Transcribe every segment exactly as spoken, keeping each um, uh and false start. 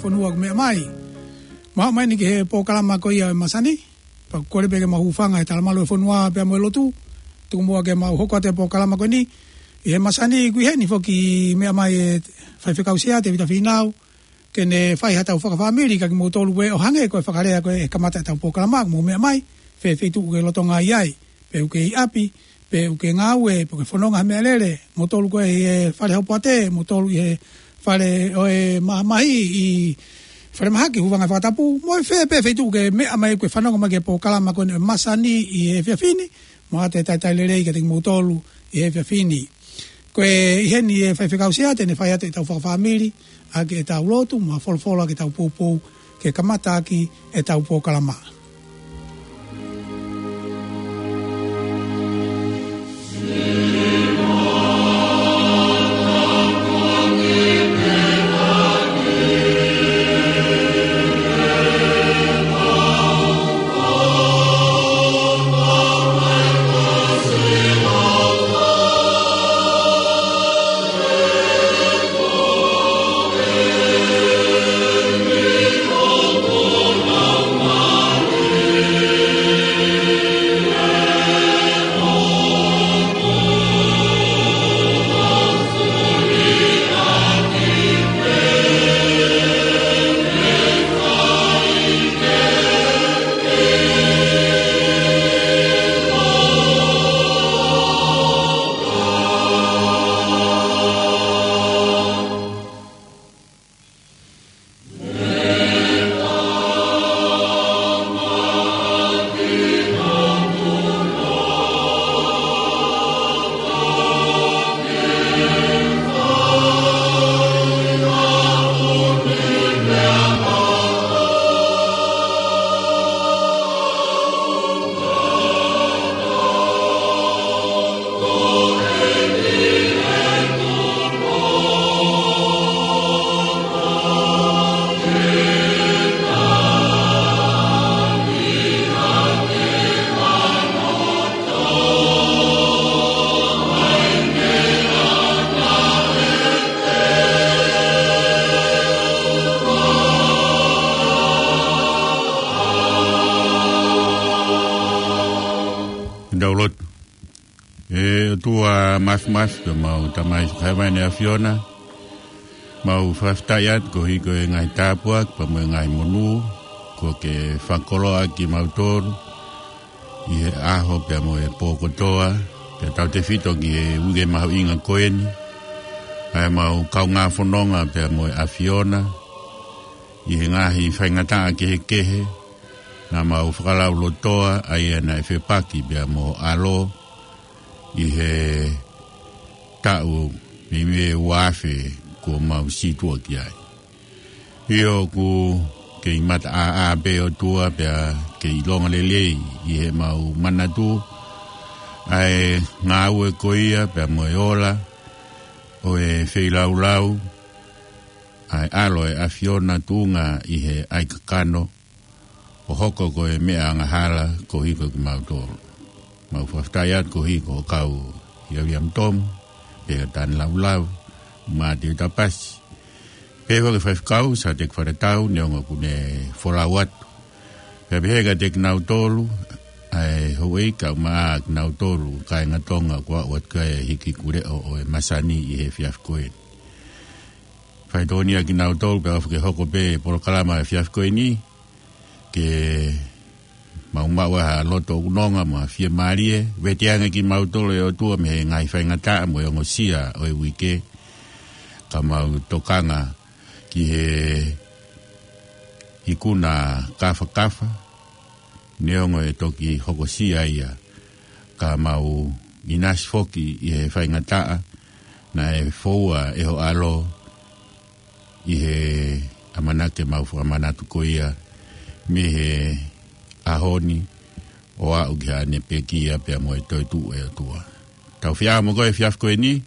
fonua ʻoku meʻa mai. Mau aʻu mai eni ki he polokalama ko ia ʻo e masani. Pea ʻoku kole pē ke mau hūfanga he talamalu ʻo e fonua pea mo e lotu. Tuku muʻa ke mau hoko atu e polokalama ko eni. ʻI he masani ʻoku ʻi heni foki meʻa mai e faifekau Sea Tevita Fīnau, ke ne fai haʻatau fakafāmili kiate kimoutolu ē, ʻo hangē ko e fakalea ko ē he kamata ʻetau polokalama, mou meʻa mai, fē feituʻu ʻoku ke lolotonga ʻi ai, pe ʻoku ke ʻi ʻapi, pe ʻoku ke ngāue, pe ʻoku ke fononga ha meʻalele, moutolu ko ē ʻi he fale haupoate, moutolu ʻi he fale ʻo e mamahi, ʻi falemahaki, hūfanga he fakatapu, mo e fē pē feituʻu ʻoku ke meʻa mai ʻoku ke fanongo mai ki he polokalama ko eni ʻo e masani ʻi he efiafi ni, mo ʻoatu e talitali lelei kiate kimoutolu ʻi he efiafi ni. Ko e ʻi heni e faifekau Sea te ne fai atu ʻetau fakafāmili, ʻaki ʻetau lotu, mo e folofola ki heʻetau poupou, ke kamata ʻaki ʻetau polokalama. Tau lotu. ʻE ʻOtua Māfimafi, ko homau Tamai Hēvani ʻAfiona, mau fakafetaʻi atu koeʻuhi ko e ngaahi tāpuaki pea mo e ngaahi monū kuo ke fakakoloa ʻaki kimautolu ʻi he ʻaho pea mo e pō kotoa, pea tautefito ki he uike mahuʻinga ko eni, ʻa ʻemau kaungā fononga pea mo e ʻAfiona ʻi he ngaahi faingataʻa kehekehe, naʻa mau fakalaulotoa ʻa ia naʻe fepaki pea mo ho ʻAlo ʻi he taʻu mei mei ua afe kuo mau sītuʻa ki ai. ʻIo, ʻoku kei mataʻāʻā pē ʻOtua pea kei ʻilonga lelei ʻi heʻemau manatu ʻa e ngāue ko ia pea mo e ola ʻo e feilaulau ʻa e ʻAlo ʻo e ʻAfiona tuʻunga ʻi he ʻaikakano, ʻo hoko ko e meʻa angahala koeʻuhi ko kimautolu. Mau fakafetaʻi atu koeʻuhi ko ho kau ʻia Uiliami Tomu, pea Tane Laulau, mo Tēvita Pasi, pea foki faifekau Sāteki Faletau, neongo ʻoku ne folau atu. Pea pehē kiate kinautolu ʻa e houʻeiki kae ʻumaʻā kinautolu kāinga Tonga kuo aʻu atu ki ai e hiki kuleʻo ʻo e masani ʻi he efiafi ko eni. Faitōnia kinautolu pea ʻofa ke hoko pē polokalama efiafi ko eni, ke mau maʻu ha loto ʻoku nonga mo ha fiemālie, vete ange kimautolu ʻe ʻOtua mei he ngaahi faingataʻa mo e ongosia ʻo e uike, ka mau tokanga ki he ikuna kafakafa, neongo ʻe toki hokosia ia, ka mau ʻinasi foki ʻi he faingataʻa naʻe foua ʻe ho ʻAlo ʻi he ʻamanaki ʻemau fakamanatu ko ia mei he ʻaho ni ʻo aʻu ki haʻane pekia pea mo e toetuʻu, ʻe ʻOtua. Tau fie ʻaho mo koe efiafi ko eni,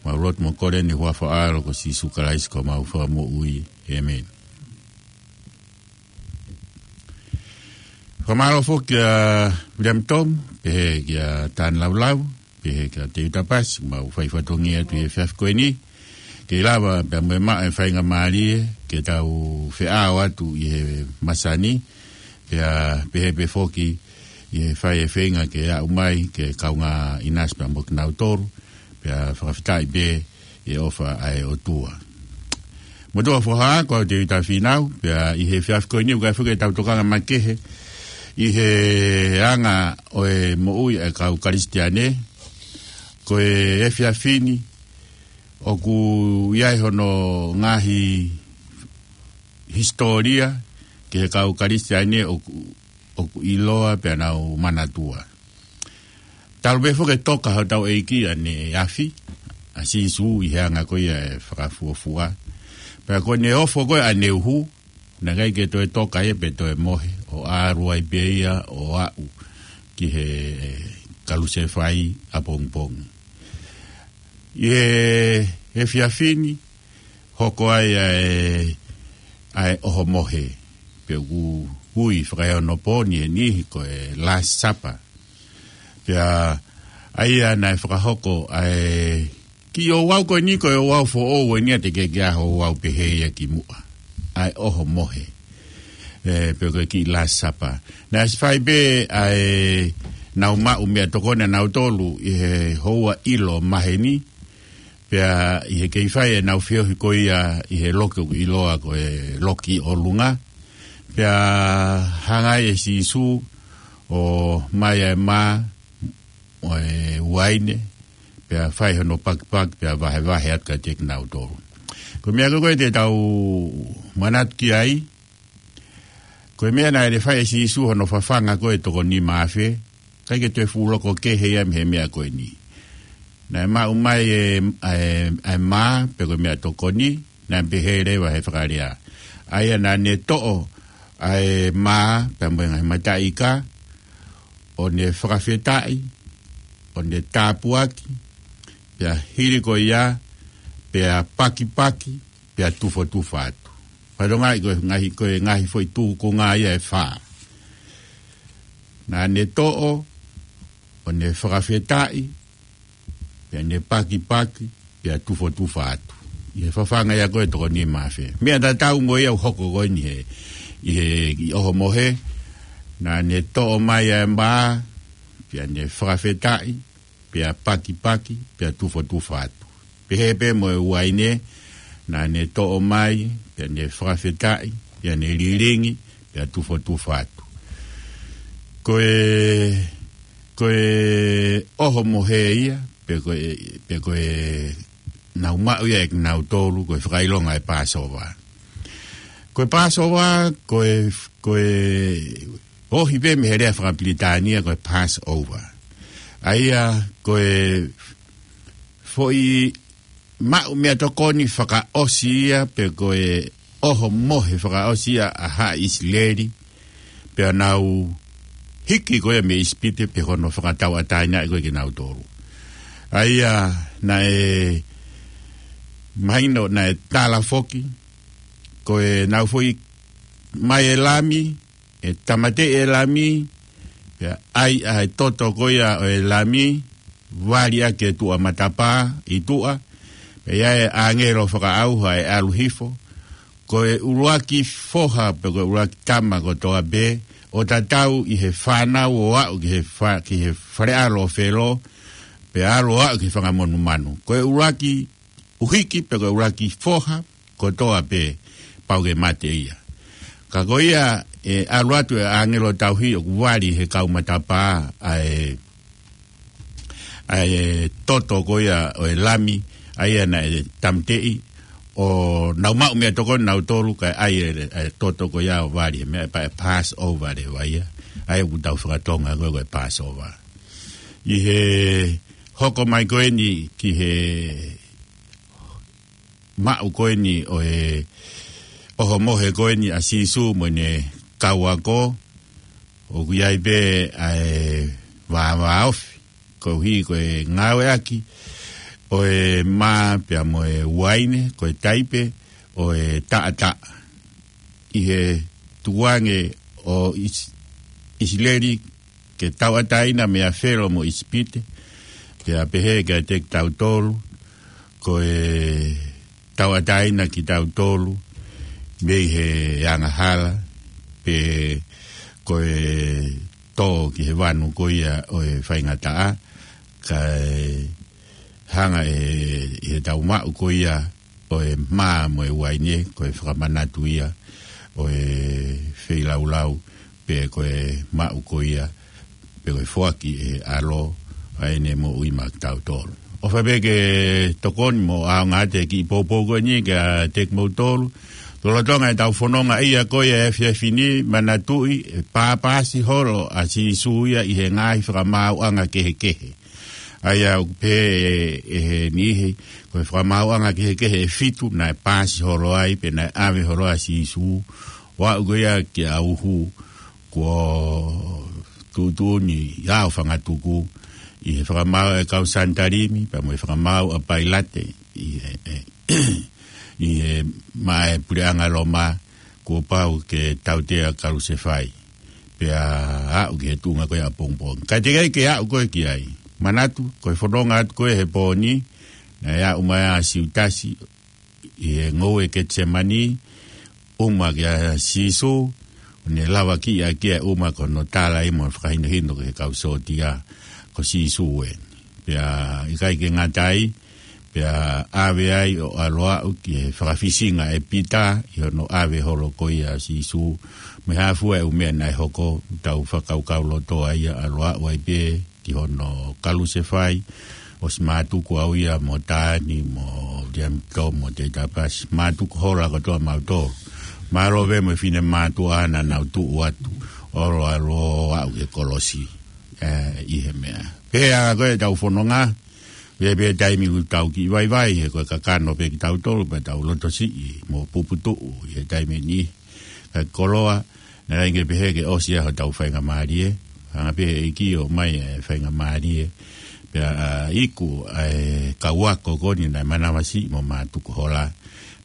mau lotu mo kole ʻi he huafa ʻo ho ʻAlo ko Sīsū Kalaisi ko homau Fakamoʻui. ʻĒmeni. Fakamālō foki kia Uiliami Tomu, pehē kia Tane Laulau, pehē kia Tēvita Pasi, mau fai fatongia atu ʻi he efiafi ko eni. ke lava pea mo e maʻu e faingamālie ke tau feʻao atu ʻi he masani, pea pehē pē foki ʻi he fai e feinga ke aʻu mai ke kaungā ʻinasi pea mo kinautolu, pea fakafetaʻi pē ʻi he ʻofa ʻa e ʻOtua. Motuʻa foha, ko au Tēvita Fīnau, pea ʻi he efiafi ko eni ʻoku ʻi ai foki ʻetau tokanga makehe ʻi he anga ʻo e moʻui ʻa e kau Kalisitiane. Ko e efiafi ni ʻoku ʻi ai hono ngaahi hisitōlia ki he kau Kalisitiane ʻoku, ʻoku ʻiloa pea nau manatua. Talu pē foki e toka hotau ʻEiki ʻaneafi, ʻa Sīsū ʻi he anga ko ia e fakafuofua. Pea ko ʻene ofo ko ē ʻaneuhu, naʻe ʻikai ke toe toka ia pe toe mohe, ʻo ʻalu ai pē ia ʻo aʻu ki he kalusefai ʻapongipongi. ʻI he, he efiafi ni, hoko ai ʻa e, ʻa e ʻohomohe, pe ʻoku ui fakaeonopō ni ʻe niʻihi ko e Last Supper. Pea ʻa ia naʻe fakahoko ʻa e kiʻi ouau ko eni, ko e ouau foʻou eni ʻa e teʻeki ke ʻi ai ha ouau pehē ia kimuʻa. ʻA e ʻohomohe. ʻE, pe ko e kiʻi Last Supper. Naʻe ʻosi fai pē ʻa e nau maʻu meʻatokoni ʻanautolu ʻi he houa ʻilo maheni, pea ʻi he kei fai ʻenau feohi ko ia ʻi he loki ʻoku ʻiloa ko e Loki ʻOlunga. Pea hanga ai ʻe Sīsū ʻo mai ʻa e mā mo e uaine, pea fai hono pakipaki, pea vahevahe atu kiate kinautolu. Ko e meʻa ko ē te tau manatu ki ai, ko e meʻa naʻe fai ʻe Sīsū hono fafanga ko ē e toko nima afe, ʻikai ke toe fuʻu loko kehe ia mei he meʻa ko eni. Naʻe maʻu mai e, ʻa e, ʻa e mā, pe ko e meʻatokoni, naʻe pehē leva he fakalea. ʻA ia naʻa ne toʻo ʻa e mā, pea mo e ngaahi mataʻi ika, ʻo ne fakafetaʻi, ʻo ne tāpuaki, pea hili ko ia, pea pakipaki, pea tufotufa atu. Fatongia ko e ngaahi, ko e ngaahi foʻi tūkunga ia ʻe fā. Naʻa ne toʻo, ʻo ne fakafetaʻi, pea ne pakipaki, pea tufotufa atu. ʻI he fafanga ia ko ē e toko nima afe. Meʻa tatau mo ia ʻoku hoko ko eni he, ʻi he, ʻi ʻohomohe, naʻa ne toʻo mai ʻa e mā, pea ne fakafetaʻi, pea pakipaki, pea tufotufa atu. Pehē pē mo e uaine, naʻa ne toʻo mai, pea ne fakafetaʻi, pea ne lilingi, pea tufotufa atu. Ko e, ko e ʻohomohe ia, pe ko e, pe ko e nau maʻu ia ʻe kinautolu, ko e fakaʻilonga e Passover. Ko e Passover, ko e, ko e ohi pē mei he lea fakapilitānia, ko e Passover. ʻA ia, ko e foʻi maʻu meʻatokoni fakaʻosi ia, pe ko e ʻohomohe fakaʻosi ia ʻa haʻa ʻIsileli, pea nau hiki ko ia mei ʻIsipite, pe ko hono fakatauʻatāinaʻi ko ē kinautolu. ʻA ia naʻe mahino naʻe tala foki, ko e nau foʻi mai e lami, ʻe tāmateʻi e lami, pea ʻai ʻa e toto ko ia ʻo e lami, vali ʻaki e tuʻa matapā ʻi tuʻa, pea ʻi ai e ʻāngelo fakaʻauha ʻe ʻalu hifo, ko e ʻuluaki foha pe ko e ʻuluaki tama kotoa pē, ʻo tatau ʻi he fānau ʻo aʻu ki he fa-, ki he fale ʻalo ʻo Felo, pea ʻalu ʻo aʻu ki he fanga monumanu. Ko e ʻuluaki uhiki pe ko e ʻuluaki foha kotoa pē, pau ke mate ia. Ka ko ia, ʻe ʻalu atu e ʻāngelo tauhi ʻoku vali he kau matapā ʻa e, ʻa e toto ko ia ʻo e lami, ʻa ia naʻe tāmateʻi, ʻo nau maʻu meʻatokoni nautolu, kae ʻai e, e toto ko ia ʻo vali he meʻa pea Passover leva ia, ʻa ia ʻoku tau fakatonga ko e, ko e Passover. ʻI he hoko mai ko eni ki he maʻu ko eni ʻo e ʻohomohe ko eni ʻa Sīsū mo ʻene kau ako, ʻoku ʻi ai pē ʻa e vāvāofi, koeʻuhi ko e ngāueʻaki ʻo e mā pea mo e uaine, ko e taipe ʻo e taʻataʻa. ʻI he tukuange ʻo ʻIs-, ʻIsileli ke tauʻatāina meia Felo mo ʻIsipite, pea pehē kiate kitautolu, ko e tauʻatāina kitautolu mei he angahala, pe ko e tō ki he vanu ko ia ʻo e faingataʻa, kae hanga ʻe, ʻe heʻetau maʻu ko ia ʻo e mā mo e uaine, ko e fakamanatu ia ʻo e feilaulau, pe ko e maʻu ko ia, pe ko e foaki ʻe he ʻAlo ʻa ʻene moʻui maʻa kitautolu. ʻOfa pē ke tokoni mo ʻaonga atu e kiʻi poupou ko eni kiate kimoutolu. Lolotonga ʻetau fononga ia ko ia he efiafi ni, manatuʻi ʻe pāpasi holo ʻa Sīsū ia ʻi he ngaahi fakamaauʻanga kehekehe. ʻA ia ʻoku pehē ʻe, ʻe he niʻihi, ko e fakamaauʻanga kehekehe ʻe fitu naʻe pāsi holo ai, pe naʻe ʻave holo ai ʻa Sīsū, ʻo aʻu ko ia kia Uhu, kuo tuʻutuʻuni ʻi he ʻao fangatuku, ʻi he fakamaau ʻa e kau Sanitalimi, pea mo e fakamaau ʻa Pailate, ʻi he, ʻe, ʻi he maʻa e puleʻanga Loma, kuo pau ke tautea kalusefai, pea aʻu ki he tuʻunga ko ia ʻapongipongi. Ka teʻeki ai ke aʻu koe ki ai. Manatu, ko e fononga atu ko ē he pō ni, naʻe aʻu mai ʻa Siutasi ʻi he ngoue Ketisemani, ʻuma kia Sīsū, ʻo ne lavakiʻi ʻaki ʻa e ʻuma ko hono tala ia mo fakahinohino ki he kau sōtia, ko Sīsū ē. Pea ʻikai ke ngata ai, pea ʻave ai ʻo ʻalu aʻu ki he fakafisinga ʻe Pita ʻi hono ʻave holo ko ia ʻa Sīsū. Mei he hā fua e ʻū meʻa naʻe hoko, tau fakakaukauloto ai ʻa e ʻalu aʻu ai pē ki hono kalusefai, ʻosi mātuku au ia mo Tani, mo Liamitomu, mo Teitapasi, mātuku hola kotoa mautolu. Mālō pē mo e finemātuʻa naʻa nau tuʻu atu, ʻo ʻalu ʻo aʻu ki he kolosi, ē, ʻi he meʻa. Pea ko ʻetau fononga, pea pē taimi ʻoku tau kiʻi vaivai, he ko e kakano pē kitautolu, pea tau lotosiʻi mo puputuʻu ʻi he taimi ni. Ka koloa, naʻe ʻikai ke pehē ke ʻosi ia hotau faingamālie, hanga pē ʻe he ʻEiki ʻo ʻomai e faingamālie, pea, ā, iku ʻa e kau ako ko eni naʻe manavasiʻi mo mātuku hola,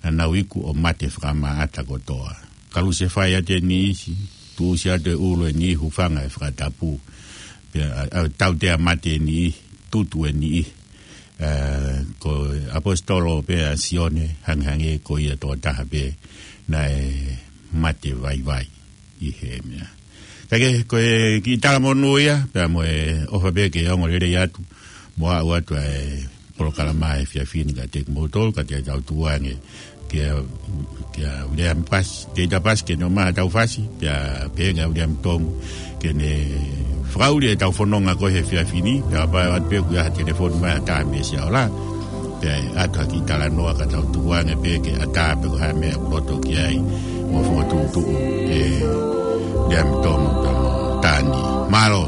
naʻa nau iku ʻo mate fakamaʻata kotoa. Kalusefai atu e niʻihi, tuʻusi atu e ʻulu e niʻihi, hūfanga e fakatapu, pea, ā, ā, tautea mate e niʻihi, tutu e niʻihi. Ē, ko e ʻaposetolo pē ʻa Sione, hangehangē ko ia tokotaha pē naʻe mate vaivai ʻi he meʻa. Ka ke, ko e kiʻi talamonū ia, pea mo e ʻofa pē ke ongo lelei atu, mo aʻu atu ʻa e polokalama he efiafi ni kiate kimoutolu, ka te tau tuku ange kia, kia Uleami Pasi, Teitapasi ke ne ʻomai haʻatau fasi, pea pehē kia Uleami Tomu ke ne fakaʻuli ʻetau fononga ko ē he efiafi ni, pea kapau ʻe ʻoatu pē ʻoku ʻi ai ha telefoni mai ha taha mei Siaola, pea ʻe ʻatu ha kiʻi talanoa ka tau tuku ange pē ke ʻatā pe ko e hā e meʻa ʻoku loto ki ai, mo fokotuʻutuʻu ʻe Uleami Tomu pea mo Tani. Mālō.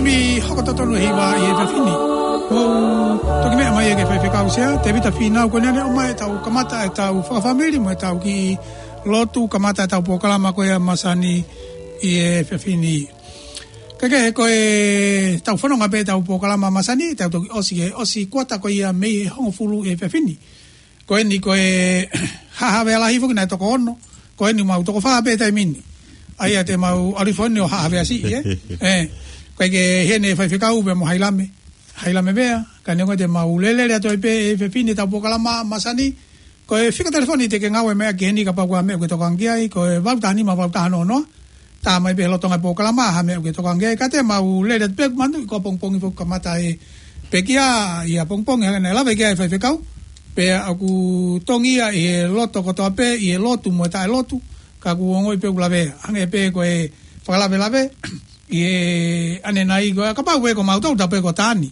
Mei hoko totonu e hiva ʻi he efiafi ni. Mou toki meʻa mai ʻa e faifekau Sea, Tevita Fīnau, ko ʻene ʻomai ʻetau kamata ʻetau fakafāmili mo ʻetau kiʻi lotu, kamata ʻetau polokalama ko ia masani ʻi he efiafi ni. Kae kehe, ko ʻetau fononga pē ʻetau polokalama masani, tau toki ʻosi he ʻosi kuata ko ia mei he hongofulu ʻi he efiafi ni. Ko eni ko e Haʻa Havea Lahi foki naʻe toko ono. Ko eni mau toko fā pē taimi ni. ʻA ia te mau ʻalu hifo eni ʻo Haʻa Havea Siʻi, ē? Ē, ko e ke heni faifekau pea mo Hailame. Hailame Vea, ka neongo te mau lele atu ai pē he efiafi ni ʻetau polokalama masani. Ko e fika telefoni te ke ngāue mai ki heni kapau ko ha meʻa ʻoku ke tokanga ki ai, ko e valu taha nima valu taha noa noa. Tā mai pē he lolotonga e polokalama ha meʻa ʻoku ke tokanga ki ai, ka te mau lele atu pē, manatuʻi ko ʻapongipongi foki kamata e pekia ʻi ʻapongipongi, hangē naʻe lave ki ai e faifekau. Pea ʻoku tongi ia ʻi he loto kotoa pē, ʻi he lotu mo e taʻelotu, ka ʻoku ongoʻi pē ʻoku lavea. Hangē pē ko e fakalavelave ʻi he ʻanenai ko e, kapau pē ko mautolu, tau pehē ko Tani.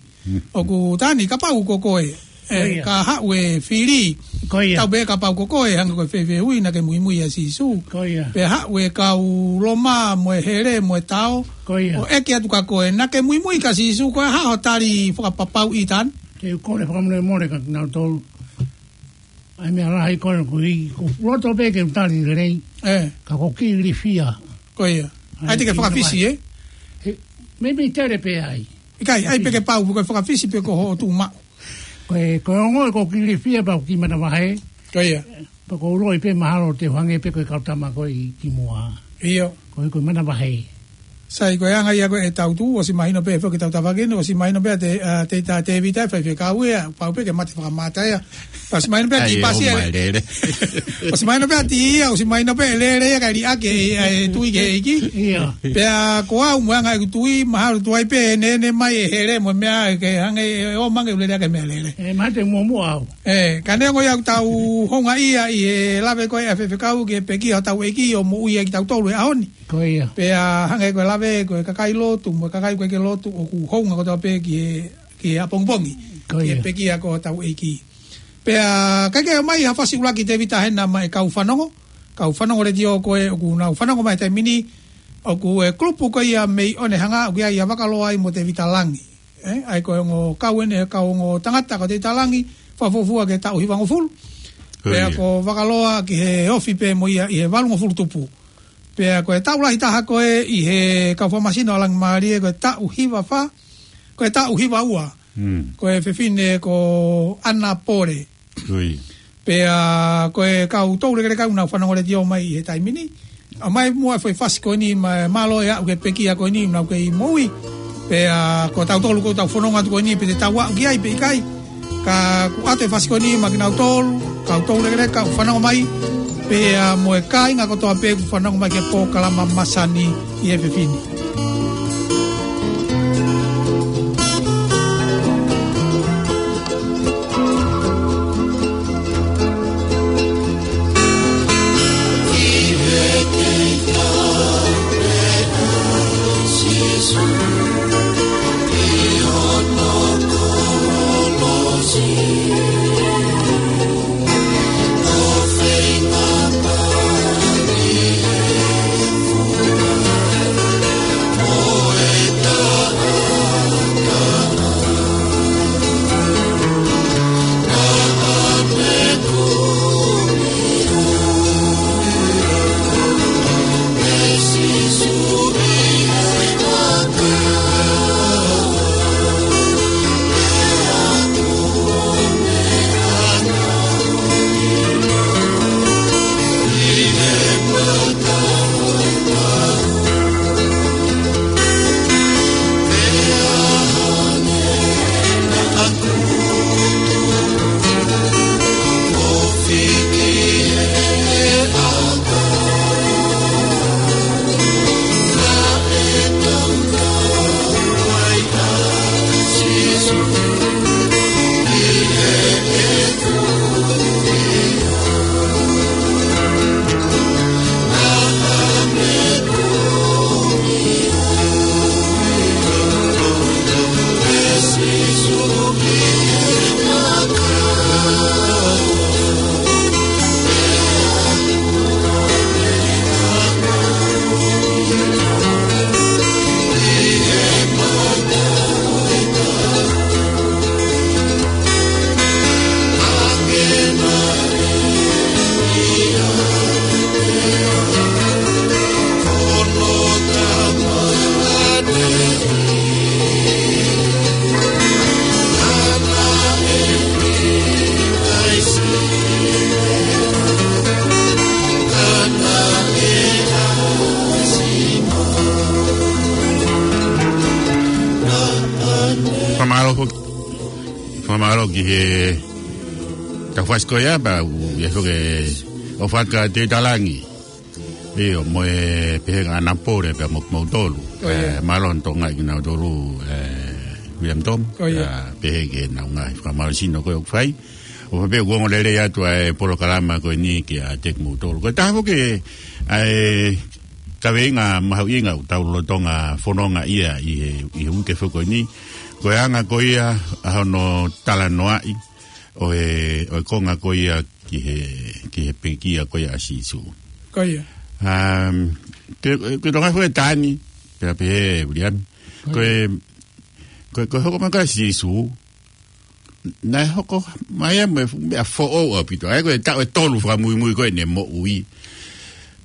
ʻOku Tani, kapau ko koe, ē, Ko ia. ka haʻu e fili. Ko ia. Tau pehē kapau ko koe, hangē ko e fēfē ui naʻa ke muimui ʻia Sīsū. Ko ia. Pea haʻu e kau Loma mo e hele mo e tao. Ko ia. ʻO ʻeke atu kia koe, naʻa ke muimui kia Sīsū, ko e hā hoʻo tali fakapapauʻi, Tani? Te u kole fakamolemole kia kinautolu. ʻAi meʻa lahi ko ē ʻoku ou, ʻoku ou loto pē ke u tali lelei. Ē. Ka ʻoku ou kiʻi ilifia. Ko ia. ʻAi, ʻai te ke kiʻi fakafisi, ē? He, meimei tele pē ai. ʻIkai, ʻai pē ke pau, ko e fakafisi pē ko hoʻo tuʻu maʻu. Ko e, ko e ongo ʻoku ou kiʻi ilifia pea ʻoku ou kiʻi manavahē. Ko ia. Pea ʻoku ou ʻiloʻi pē mahalo te u hangē pē ko e kau tama ko ē ʻi kimuʻa. ʻIo. Ko e, ko e manavahē. Sai, ko e anga ia ko ē ʻetau tuʻu, ʻosi mahino pē foki ʻetau tafaʻaki ni, ʻosi mahino pē ʻa Te-, ʻa Tevita, Tevita e faifekau ia, pau pē ke mate fakamata ia. ʻOsi mahino pē ʻa Ai, Tipasi ʻo ia. mai lele. ʻOsi mahino pē ʻa Tia, ʻosi mahino pē lele ia kae liʻaki e, e tui ki he ʻEiki. Ia. Pea ko au mo e anga ʻeku tui, mahalo tuai pē ʻe neʻineʻi mai e hele mo e meʻa ke hangē ʻe ō mai ange ʻo lele ake meʻalele. Ē, mahalo te u muʻomuʻa au. Ē, ka neongo ia ʻoku tau houngaʻia ʻi he lave ko ē ʻa e faifekau ki he pekia hotau ʻEiki ʻo moʻui ai kitautolu he ʻaho ni. Ko ia. Pea hangē ko e lave, ko e kakai lotu, mo e kakai ʻoku ʻikai ke lotu, ʻoku hounga kotoa pē ki he, ki he ʻapongipongi. Ko Ki he ia. pekia ko hotau ʻEiki. Pea kae kehe, ʻomai ha fasi ʻuluaki Tevita hena maʻa e kau fanongo. Kau fanongo letiō ko ē ʻoku nau fanongo mai he taimi ni. ʻOku e kulupu ko ia mei ʻOnehanga, ʻoku ʻi ai ʻa Vakaloa ai mo Tevita Langi. Ē, ʻa ia ko e ongo kau eni, kau ongo tangata ko Tevita Langi, fakafuofua ki he taʻu hivangofulu. Ko Pea ia. ko Vakaloa ki he ofi pē mo ia ʻi he valungofulu tupu. Pea ko e taʻu lahi taha ko ē ʻi he kau fakamasino ʻa Langimālie ko e taʻu hiva fā, ko e taʻu hiva ua. Mm. Ko e fefine ko ʻAna Pole. Ko ia. Pea ko e kau toulekeleka ʻoku nau fanongo letiō mai he taimi ni. ʻOmai muʻa e foʻi fasi ko eni, ma-, mālō e aʻu ki he pekia ko eni ʻoku nau kei moʻui. Pea ko tautolu ʻoku tau fononga atu ko eni pe te tau aʻu ki ai pe ʻikai. Ka ʻoku ʻoatu e fasi ko eni maʻa kinautolu, kau toulekeleka ʻoku fanongo mai. Pea mo e kāinga kotoa pē ʻoku fanongo mai ki he polokalama masani ʻi he efiafi ni. Fakamālō foki. Fakamālō ki he taufasi ko ia, pea ʻoku ʻi ai foki ʻa Fakateitalangi. ʻIo, mo e pehē ʻa Napole pea mo kimoutolu. ʻIo. Mālō ʻa e Tonga kinautolu, ʻe, William Tom. ʻIo. Pea pehē ki heʻenau ngaahi fakamālō sino ko ē ʻoku fai. ʻO pehē ʻoku ongo lelei atu ʻa e polokalama ko eni kiate kimoutolu. Ko e taha foki ʻa e kaveinga mahuʻinga ʻoku tau lolotonga fononga ia ʻi he, ʻi he uike foki ko eni. Ko e anga ko ia ʻa hono talanoaʻi ʻo e, ʻo e konga ko ia ki he, ki he pekia ko ia ʻa Sīsū. Ko ia. Um, ke, ke tonga foki ʻe Tani, pea pehē William. Ko ia. Ko e, ko e, ko e hoko mai ko ē ʻa Sīsū, naʻe hoko mai ia mo e fuʻu meʻa foʻou ʻaupito. ʻA ia ko e taʻu ʻe tolu fakamuimui ko ē ʻene moʻui.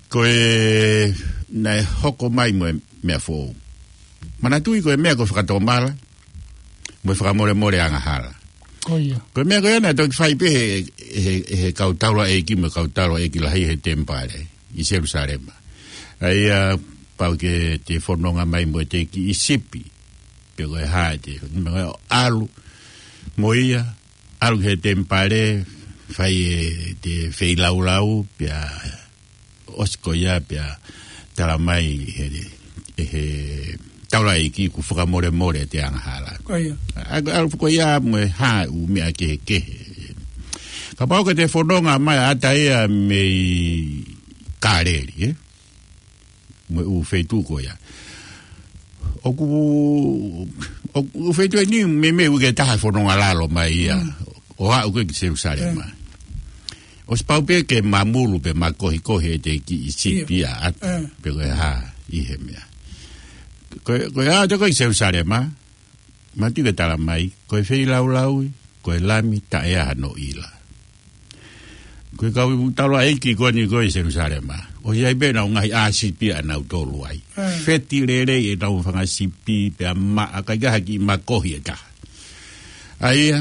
Ko e naʻe hoko mai mo e meʻa foʻou. Manatuʻi ko e meʻa ko e fakatomala, mo e fakamolemole angahala. Ko ia. Ko e meʻa ko ia naʻe toki fai pē he, he, he kau taulaʻeiki mo e kau taulaʻeiki lahi he temipale ʻi Selusalema. ʻA ia pau ke te fononga mai mo e kiʻi sipi. Pe ko e hā ʻete, mo e ʻalu mo ia, ʻalu ki he temipale, fai ʻete feilaulau, pea ʻosi ko ia pea tala mai he, he taulaʻeiki kuo fakamolemole ʻete angahala. Ko ia. ʻA, ʻalu ko ia mo e hā ʻū meʻa kehekehe. Kapau ke te fononga mai ʻa ʻata ia mei Kāleli, ē? Mo e ʻū feituʻu ko ia. ʻOku, ʻoku, ʻū feituʻu ʻeni meimei ʻoku ke taha fononga lalo mai ia. Mm. ʻO aʻu ko ē ki Selusalema. Mm. ʻOsi pau pē ke mamulu pe makohikohi ʻete kiʻi sipi ia ʻata. Mm. Pe ko e hā ʻi he meʻa. Ko, ko e aʻu ko ē ki Selusalema, manatuʻi ke tala mai, ko e feilaulau, ko e lami taʻe ʻi ai hano ʻila. Ko e kau taulaʻeiki ko eni ko ē ʻi Selusalema. ʻOsi ʻi ai pē ʻenau ngaahi ʻā sipi ʻanautolu ai. Mm. Feti lelei ʻenau fanga sipi pea maʻa, ʻikai ke ʻi ai ha kiʻi makohi ʻe taha. ʻA ia,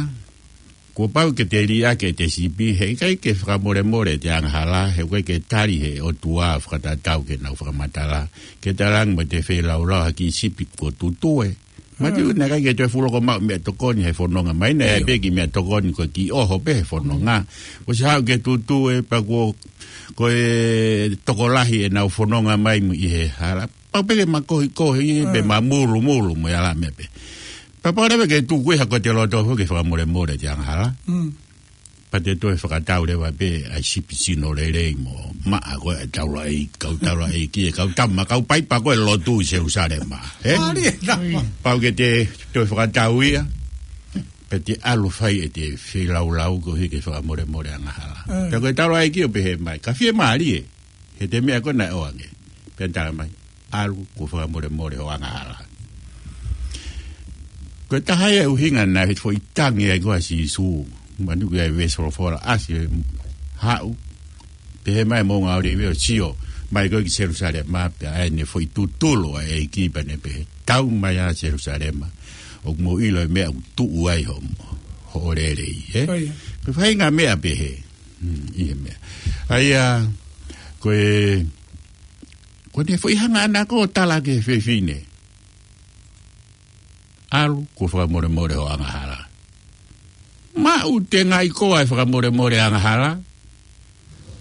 kuo pau ke te liʻaki ʻete sipi, he ʻikai ke fakamolemole ʻete angahala, he ʻikai ke tali he ʻOtua fakatatau ki heʻenau fakamatala, ke talaange mo ʻete feilaulau ha kiʻi sipi kuo tutue. Manatuʻi naʻe ʻikai ke toe fuʻu loko maʻu meʻatokoni he fononga mai, naʻe ʻi ai pē kiʻi meʻatokoni ko e kiʻi ʻoho pē he fononga. ʻOsi haʻu ke tutue pea kuo, ko e tokolahi ʻenau fononga mai mo ʻi he hala. Pau pē ke makohikohi pe mamulumulu mo e ʻala meʻa pē. Pea pau leva ke tuku ia ko ʻete loto foki ke fakamolemole ʻete angahala. Mm. Pea te toe fakatau leva pē ʻa e sipi sino lelei mo maʻa ko ē ʻa e taulaʻeiki, kau taulaʻeiki, ʻa e kau tama, kau paipa ko ē lotu ʻi Selusalema. Ē? Mālie, tama. Pau ke te toe fakatau ia, pea te ʻalu fai ʻete feilaulau koeʻuhi ke fakamolemole angahala. Mm. Pea ko e taulaʻeiki ʻo pehē mai, ka fiemālie, he ʻete meʻa ko ē naʻe ʻoange. Pea tala mai, ʻalu kuo fakamolemole hoʻo angahala. Ko e taha ia e ʻuhinga naʻe foʻi tangi ai ko ē ʻa Sīsū. Manatuʻi ʻa e veesi folofola ʻasi, haʻu, pehē mai ʻe Moʻunga ʻOlive ʻo sio mai ko ē ki Selusalema, pea ʻai ʻene foʻi tutulu ʻa e ʻEiki pea ne pehē, tau mai ā Selusalema, ʻoku mou ʻilo e meʻa ʻoku tuʻu ai hoʻo, hoʻo lelei, ē? Ko ia. Ko e faʻahinga meʻa pehē. Hmm, ʻi he meʻa. ʻA ia, ko e, ko ʻene foʻi hanga ʻana ko ē ʻo tala ki he fefine, ʻalu kuo fakamolemole hoʻo angahala. Maʻu tengaʻi koā e fakamolemole angahala?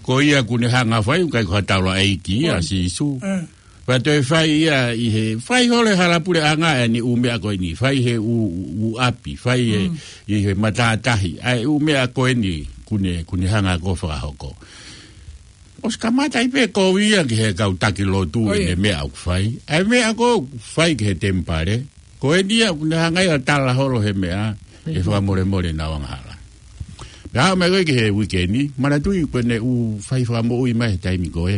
Ko ia kuo ne hanga fai, ʻoku ʻikai ko ha taulaʻeiki ia, ʻa Sīsū. Mm. Pea toe fai ia ʻi he, fai holo e hala puleʻanga ʻa ʻene ʻū meʻa ko eni, fai he ʻū, ʻū ʻapi, fai he, mm, ʻi he matātahi, ʻa e ʻū meʻa ko eni, kuo ne, kuo ne hanga ko ē ʻo fakahoko. ʻOsi kamata ai pē kovi ia ki he kau taki lotu, ʻio, ʻene meʻa ʻoku fai. ʻA e meʻa ko ē ʻoku fai ki he temipale, ko eni ia kuo ne hanga ia ʻo tala holo he meʻa, ʻe fakamolemole ʻenau angahala. Pea aʻu mai ko ē ki he uike ni, manatuʻi ko ʻene ʻū fai fakamoʻui mai he taimi ko ē,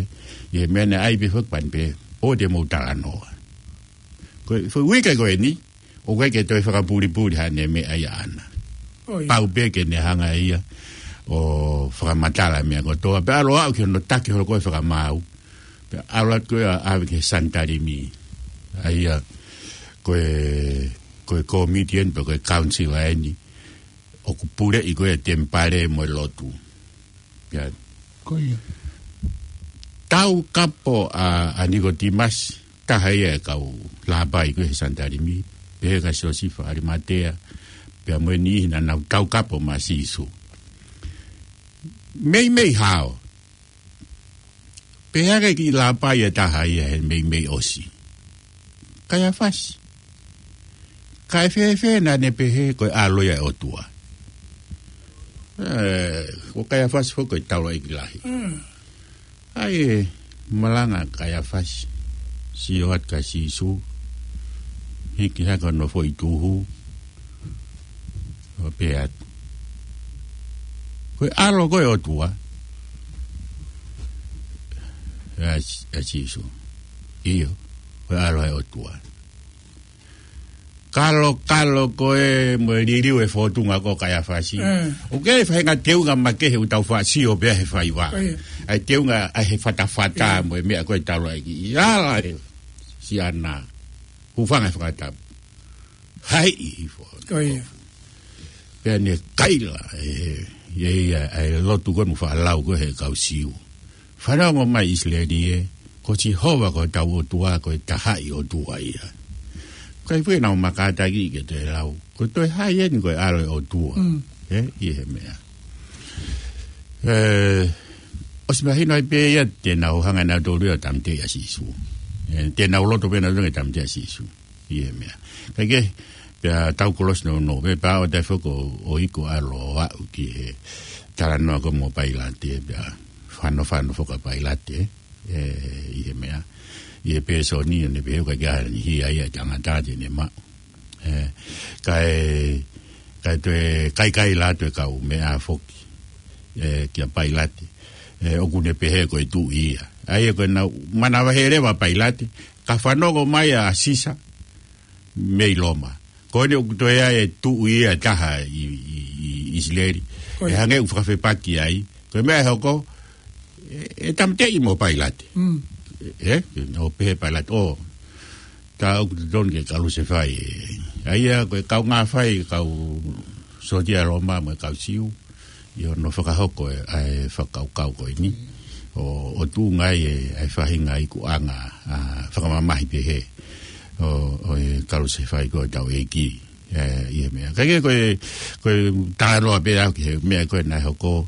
ʻi he meʻa naʻe ʻai pē fakapani pē, ʻoua te mou talanoa. Ko e, ko e uike ko eni, ʻoku ʻikai ke toe fakapulipuli haʻane meʻa ia ʻaʻana. ʻIo. Pau pē ke ne hanga ia ʻo fakamatala meʻa kotoa. Pea ʻalu ʻo aʻu ki hono taki holo ko ē fakamaau. Pea ʻalu atu ko ē ʻo ʻave ki he Sanitalimi. ʻA ia, ko e, ko e kōmiti eni, pe ko e council eni ʻoku puleʻi ko ē e temipale mo e lotu. Ia. Ko ia. Taukapo ʻa, ʻa Nikotīmasi, taha ia e kau lāpai ko ē he Sanitalimi, pehē kia Siosifa ʻAlimatea, pea mo e niʻihi naʻa nau taukapo maʻa Sīsū. Meimei hao. Pehē ki he lāpai ʻe taha ia he meimei ʻosi. Kaiafasi. Kae fēfē naʻa ne pehē ko e ʻAlo ia ʻo e ʻOtua. Ē, ko Kaiafasi foki ko e taulaʻeiki lahi. Mm. ʻAi ē, malanga Kaiafasi. Sio atu kia Sīsū. Hiki hake hono foʻi tuhu. ʻO pehē atu. Ko e ʻAlo ko ē ʻo e ʻOtua. ʻE, ʻe Sīsū. ʻIo, ko e ʻAlo ʻo e ʻOtua. Kalokalo ko ē mo e liliu e fōtunga ko Kaiafasi. Mm. ʻOku ʻi ai e faʻahinga teunga makehe ʻoku tau faʻa sio pē he faiva. ʻIo. ʻA e teunga ʻa e fatafata, ʻio, mo e meʻa ko e taulaʻeiki. ʻI ala ē, siana. Hūfanga he fakatapu. Haiʻi hifo. ʻIo. Pea ne kaila, ē, ʻi he, ʻa e lotu ko ē naʻe faʻa lau ko ē he kau Siu. Fanongo mai ʻIsileli ē, ko Sihova ko hotau ʻOtua, ko e tahaʻi ʻOtua ia. Kae fue nau makātaki ke toe lau. Ko e toe hai eni ko e ʻAlo ʻo e ʻOtua. Mm. Ē, ʻi he meʻa. Ē, ʻosi mahino ai pē ia te nau hanga nautolu ia ʻo tāmateʻi ʻa Sīsū. Ē, te nau loto pē nautolu ke tāmateʻi ʻa Sīsū. ʻI he meʻa. Kae kehe, pea tau kolosi nounou, pea pau ʻo tae foki ʻo iku ʻa e ʻAlo ʻo aʻu ki he talanoa ko ē mo Pailate, pea fanofano foki ʻa Pailate, ē, ʻi he meʻa. ʻI he pēsoni, ʻo ne pehē ʻoku ʻikai ke ʻi ai ha niʻihi ia ʻa e tangata te ne maʻu. Ē, kae, kae toe, kae kaila atu e kau meʻa foki, ē, kia Pailate. Ē, ʻoku ne pehē ko e tuʻi ia. ʻA ia ko ʻenau manavahē leva ʻa Pailate, ka fanongo mai ʻa Sisa, mei Loma. Ko eni ʻoku toe ʻi ai e tuʻi ia ʻe taha ʻi, ʻi, ʻi ʻIsileli. Ko ia. ʻE hangē ʻoku fakafepaki ai. Ko e meʻa ʻe hoko, ʻe, ʻe tāmateʻi mo Pailate. Mm. Ē, ʻo pehē Pailate, ʻo, tā ʻoku totonu ke kalusefai ē. ʻA ia, ko e kaungā fai, kau sōtia Loma mo e kau Siu. ʻI hono fakahoko e, ʻa e fakakaukau ko eni. ʻO, ʻo tuʻunga ai e, ʻa e faʻahinga ikuʻanga, ʻa, fakamamahi pehē. ʻO, ʻo e kalusefai ko ē ʻetau ʻEiki. Ē, ʻi he meʻa. Kae kehe ko e, ko e talanoa pē au ki he meʻa ko ē naʻe hoko,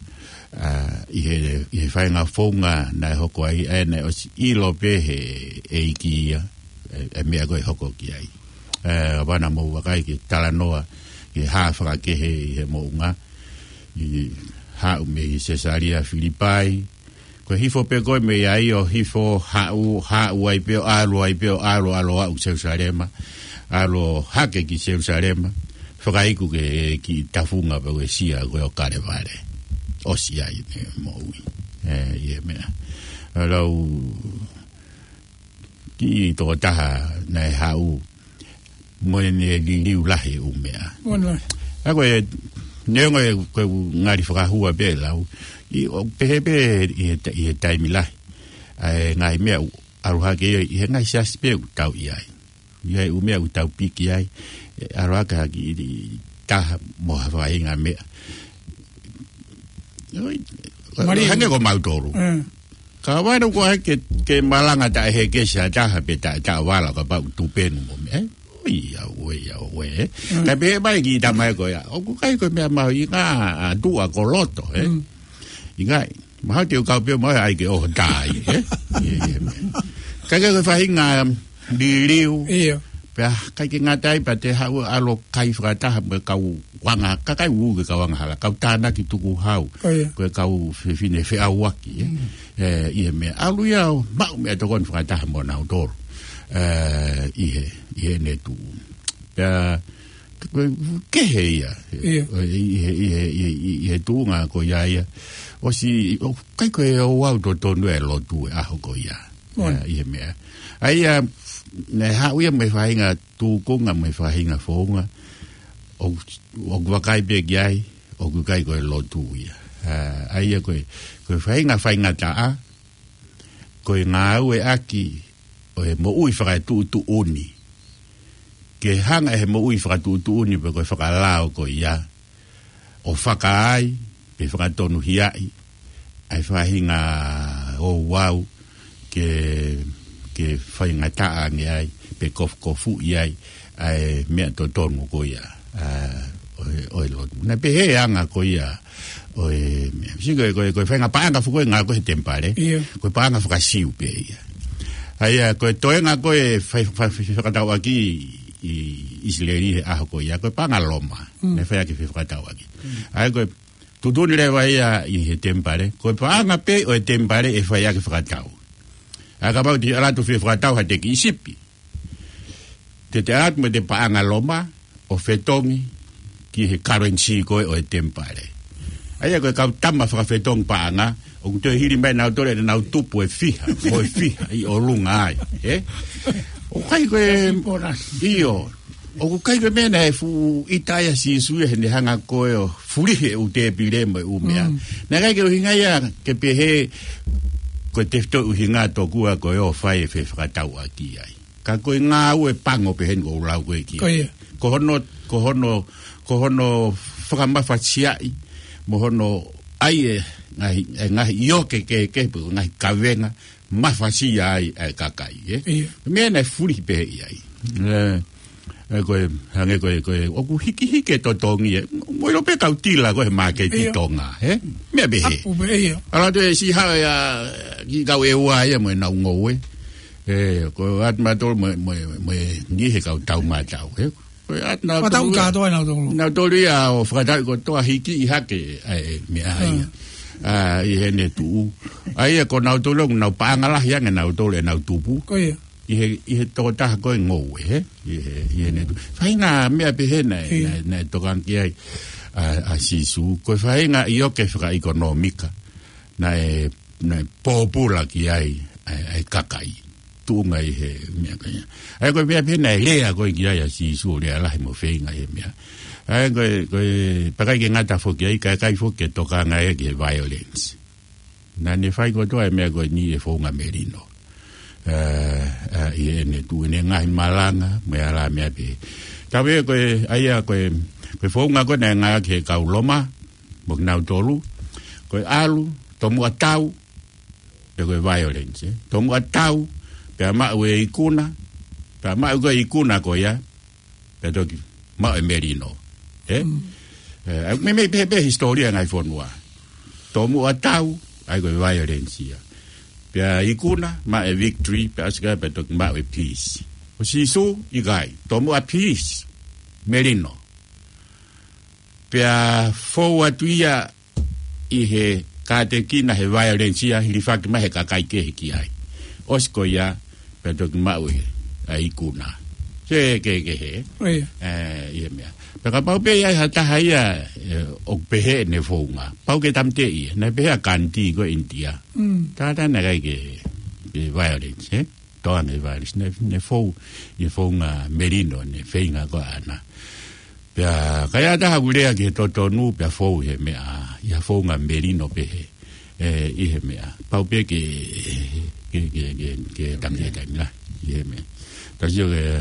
ʻa, ʻi he, ʻi he faʻahinga founga naʻe hoko ai, ʻa ē naʻe ʻosi ʻilo pē he ʻEiki ia, ē, ʻa e meʻa ko ē ʻe hoko ki ai. Ē, ʻa ʻena mou vakai ki he talanoa, ki he hā fakakehe ʻi he moʻunga, ʻi haʻu mei Sesalia Filipai, ko e hifo pē ko ē mei ai ʻo hifo haʻu, haʻu ai pē ʻo ʻalu ai pē ʻo ʻalu, ʻalu ʻo aʻu Selusalema, ʻalu ʻo hake ki Selusalema, fakaiku ki he kiʻi tafunga pē ko e sia ko ē ʻo Kalevale. ʻOsi ai ʻene moʻui. Ē, ʻi he meʻa. ʻA lau kiʻi tokotaha naʻe haʻu mo ʻene liliu lahi ʻū meʻa. Mono. ʻA ko e, neongo ē ko e ngali fakahua pē lau. ʻI, ʻoku pehē pē ʻi he ta-, ʻi he taimi lahi. ʻA e ngaahi meʻa ʻoku ʻalu hake ʻi he ngaahi siasi pē ʻoku tau ʻi ai. ʻI ai ʻū meʻa ʻoku tau piki ai. ʻE ʻalu hake ha kiʻi taha mo ha faʻahinga meʻa. Oi, Mali. Hangē ko mautolu. Mm. Ka ʻoua naʻa ko ē ke, ke malanga taʻe hekesi ha taha pe taʻe taʻovala kapau ʻoku tupenu mo meʻa. Ē? ʻOi, ia, ʻoe, ia, ʻoe, ē? Mm. Ka pehē mai ki he tamai ko ia. ʻOku ʻikai ko e meʻa mahuʻinga ʻa tuʻa ko loto, ē? Mm. ʻIkai, mahalo te u kau pē mo ia ʻai ke ʻoho tai, ē? Ia, ia, meʻa. Ka ke ko e faʻahinga, um, liliu. ʻIo. Pea, ʻikai ke ngata ai pea te haʻu ʻalu ʻo kai fakataha mo e kau anga, kakai ʻoku ke kau angahala, kau tānaki tukuhau. ʻIo. Ko e kau fefine feʻauaki, ē. Mm. Ē, ʻi he meʻa, ʻalu ia ʻo maʻu meʻatokoni fakataha mo nautolu. Ē, ʻi he, ʻi heʻene tuʻu. Pea, ko e kehe ia. ʻIo. Ē, ʻi he, ʻi he, ʻi he, ʻi he tuʻunga ko ia ia. ʻOsi, ʻoku ʻikai ko e ouau totonu e lotu he ʻaho ko ia. Mono. Ē, ʻi he meʻa. ʻA ia, naʻe haʻu ia mo e faʻahinga tūkunga mo e faʻahinga founga. ʻOku, ʻoku vakai pē ki ai, ʻoku ʻikai ko e lotu ia. Ā, ʻa ia ko e, ko e faʻahinga faingataʻa, ko e ngāueʻaki ʻo e moʻui fakatuʻutuʻuni. Ke hanga ʻe he moʻui fakatuʻutuʻuni pe ko e fakalao ko ia ʻo fakaai, pe fakatonuhiaʻi ʻa e faʻahinga ouau ke, ke faingataʻa ange ai, pe kofukofuʻi ai ʻa e meʻa totonu ko ia, ʻa, ʻo e, ʻo e lotu. Naʻe pehē ʻa e anga ko ia ʻo e meʻa. Sio ko e, ko e, ko e faʻahinga paʻanga foki ko ē ʻoku ngāueʻaki he temipale. ʻIo. Ko e paʻanga faka-Siu pē ia. ʻA ia, ko e toenga ko ē fai, fai, fai, fefakatauʻaki ʻi ʻIsileli he ʻaho ko ia, ko e paʻanga Loma. Mm. Naʻe fai ʻaki e fefakatauʻaki. Mm. ʻA ia ko e tuʻutuʻuni leva ia ʻi he temipale, ko e paʻanga pē ʻo e temipale ʻe fai ʻaki e fakatau. ʻA ia kapau te ʻalu atu ʻo fefakatau ha teʻeki sipi, te te ʻalu atu mo e paʻanga Loma ʻo fetongi ki he currency ko ē ʻo e temipale. ʻA ia ko e kau tama fakafetongi paʻanga, ʻoku toe hili mai nautolu ʻenau tupu ʻe fiha, mo e fiha ʻi ʻolunga ai, ē? ʻOku ʻikai ko e, ʻio, ʻoku ʻikai ko e meʻa naʻe fuʻu ʻita ai ʻa Sīsū ia heʻene hanga ko ē ʻo fulihi e ʻū tēpile mo e ʻū meʻa. Mm. Naʻe ʻikai ke ʻuhinga ia ke pehē ko e tefitoʻi ʻuhinga tokua ko ē ʻo fai e fefakatauʻaki ai. Ka ko e ngāue pango pē heni ʻoku ou lau ko ē ki ai. Ko ia. Ko hono, ko hono, ko hono fakamafasiaʻi, mo hono ʻai e ngaahi, e ngaahi ioke kehekehe, pe ko e ngaahi kavenga, mafasia ai e kakai, ē? ʻIo. Meʻa naʻe fulihi pē ia ai. Ē, ē, ko e, hangē ko e, ko e, ʻoku hikihiki e totongi, ē. Mo ʻilo pē kau tila ko ē he māketi ʻIo. Tonga, ē? Meʻa pehē. Apu pē, ʻio. ʻAlu atu ʻe Sīsū ia, ki he kau ʻEua ia mo ʻenau ngoue. Ē, ko e ʻatu mautolu mo, mo, mo e niʻihi he kau taumatau, ē? Ko e ʻatu mautolu Fakatau ia. Kātoa nautolu. Nautolu ia ʻo fakatau kotoa hiki ʻi hake, ʻa e meʻa ʻa ia. Mm. ʻA, ʻi heʻene tuʻu. ʻA ia ko nautolu ʻoku nau paʻanga lahi ange nautolu ʻenau tupu. Ko ia. ʻI he, ʻi he tokotaha ko ē ngoue, ē? ʻI he, ʻi heʻene tuʻu. Faʻahinga meʻa pehē naʻe, ʻIo. naʻe, naʻe tokanga ki ai ʻa, ʻa Sīsū. Ko e faʻahinga ioke fakaʻekonōmika naʻe, naʻe pōpula ki ai ʻa e, ʻa e kakai. Tuʻunga ʻi he meʻa ko ia. ʻA ia ko e meʻa pehē naʻe lea ko ē ki ai ʻa Sīsū, lea lahi mo feinga ʻi he meʻa. ʻA ia ko e, ko e, pea ʻikai ke ngata foki ai, ka ʻikai foki ke tokanga ia ki he violence. Naʻa ne fai kotoa e meʻa ko eni ʻi he founga melino. Ē, ē, ʻi heʻene tuʻu ʻene ngaahi malanga, mo e ala meʻa pehē. Ka pehē ko e, ʻa ia ko e, ko e founga ko ē naʻe ngāueʻaki he kau Loma, mo kinautolu, ko e ʻalu, tomuʻa tau, pea ko e violence, ē. Tomuʻa tau, pea maʻu e ikuna, pea maʻu ko e ikuna ko ia, pea toki maʻu e melino, ē? Mm. Ē, ʻa, meimei pehē pē hisitōlia ngaahi fonua. Tomuʻa tau, ʻa ia ko e violence ia. Pea ikuna, maʻu e victory, pea ʻosi ko ia pea toki maʻu e peace. Ko Sīsū, ʻikai. Tomuʻa peace, melino. Pea fou atu ia ʻi he kātekina he violence ia hilifaki mai he kakai kehe ki ai. ʻOsi ko ia, pea toki maʻu e, ʻa e ikuna. Se ke, ke he. ʻIo. Ē, ʻi he meʻa. Pea kapau pē ʻe ʻi ai ha taha ia, ē, ʻoku pehē ʻene founga. Pau ke tāmateʻi ia. Naʻe pehē ʻa Gandhi ko ʻInitia. Mm. Taha naʻe ʻikai ke, ke violence, ē? Tokanga ki he violence. Naʻe, naʻe fou, ʻi he founga melino, naʻe feinga ko ē ʻana. Pea, ka ʻi ai ha taha ʻoku lea ki he totonu, pea fou he meʻa, ʻi ha founga melino pehē, ē, ʻi he meʻa. Pau pē ke, ke, ke, ke, ke tāmateʻi he taimi lahi, ʻi he meʻa. Tau sio ki he,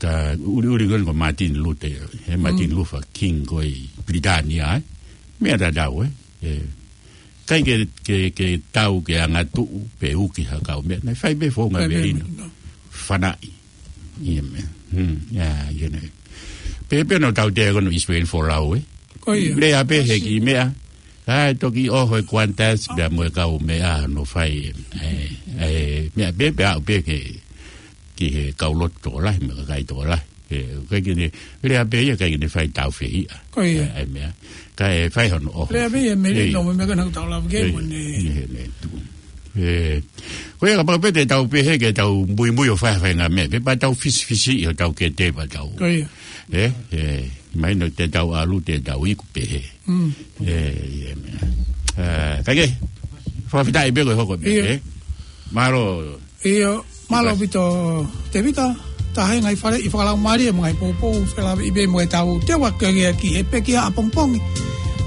ka ʻuliʻuli ko eni ko Martin Luther, he Martin Mm. Luther King ko ē ʻi Pilitānia, ē. Meʻa tatau, ē. Ē, ʻikai ke, ke, ke tau ke angatuʻu, pe uki ha kau meʻa. Naʻe fai pē founga Fai pē melino. melino. Fanaʻi. ʻI he meʻa. Hmm, ʻa ia, ʻi heʻene. Pehē pē naʻa tau teu ko eni ʻIsileli folau, ē. Ko ia. Lea pē he kiʻi meʻa. Kae toki ʻoho e Qantas pea mo e kau meʻa naʻe fai, ē, ē, meʻa pē pea aʻu pē ke, ki he kau lotu tokolahi, mo e kakai tokolahi. Ē, ʻikai ke ne, lea pē ia ʻikai ke ne fai tāufehiʻa. Ko ia. Ē, ʻa e meʻa. Kae fai hono ʻoho. Lea pē ia melino, Ē. mo e meʻa ko ena ʻoku tau lava ki ai, Ē, mo ne. ʻi heʻene tuʻu. Ē, ko ia kapau pē te tau pehē ke tau muimui ʻo fai ha faʻahinga meʻa. Pea pau tau fisifisiʻi hotau kete pea tau. Ko ia. Ē, ē, mahino te tau ʻalu, te tau iku pehē. Mm. Ē, ʻi he meʻa. Ē, kae kehe, fakafetaʻi pē ko e hoko meʻa, Ia. ē? Mālō. ʻIo, mālō ʻaupito, Tēvita, taha e ngaahi faleʻi fakalaumālie mo e ngaahi poupou, felāveʻi pē mo ʻetau teu ake ki he pekia ʻapongipongi.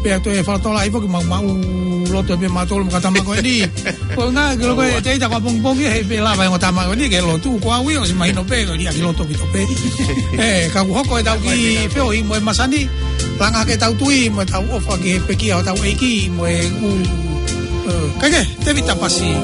Pea toe fakalotolahi foki maʻu, maʻuloto pē mautolu mo e kau tama ko eni. Ko e ʻuhinga, ke loko e teita ko ʻapongipongi, he ʻikai lava e ongo tama ko eni ke lotu, ko au ia ʻosi mahino pē, ko e liʻaki loto ʻaupito pē. Ē, ka kuo hoko ʻetau kiʻi feohi mo e masani, langa hake ʻetau tui mo ʻetau ʻofa ki he pekia hotau ʻEiki mo e ʻū, ē, kae kehe, Tēvita Pasi.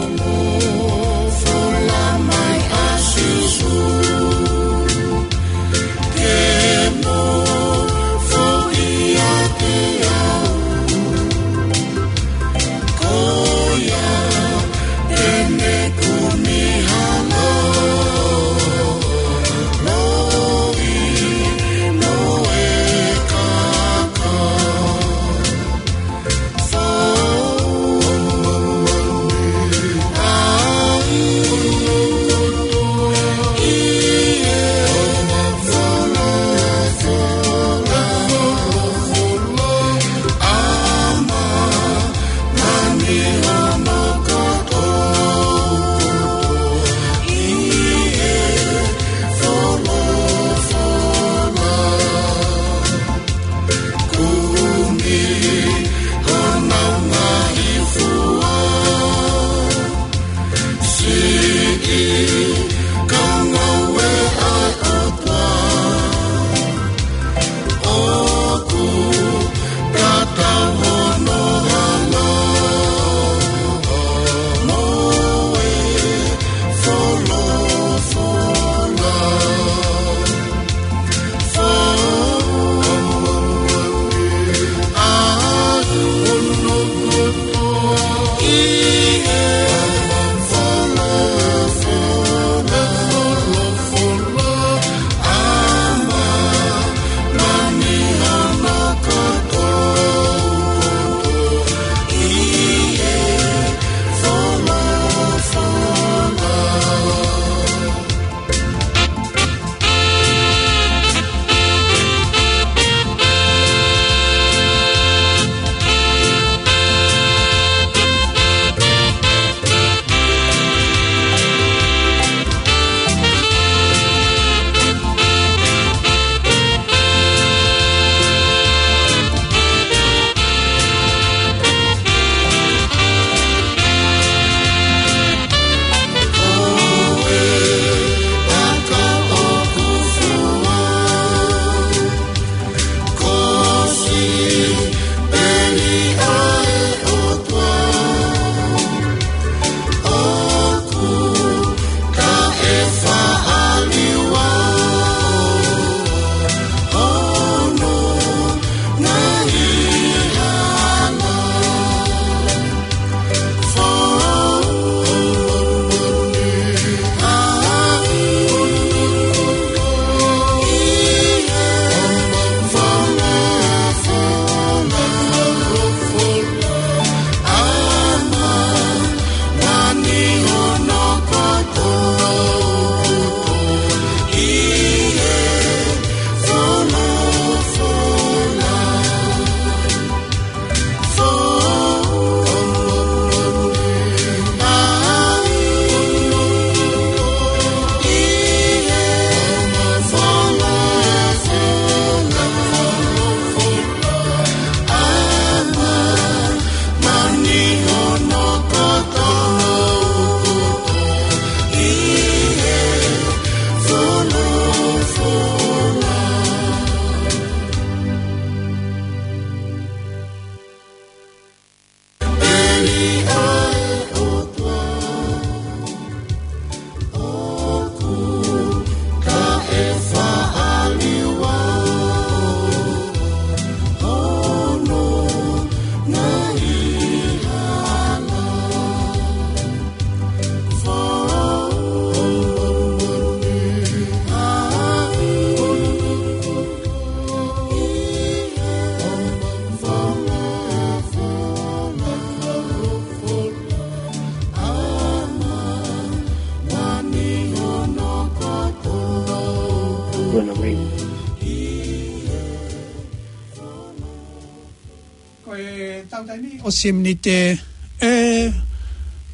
Ko e tau taimi, ʻosi e miniti, ē,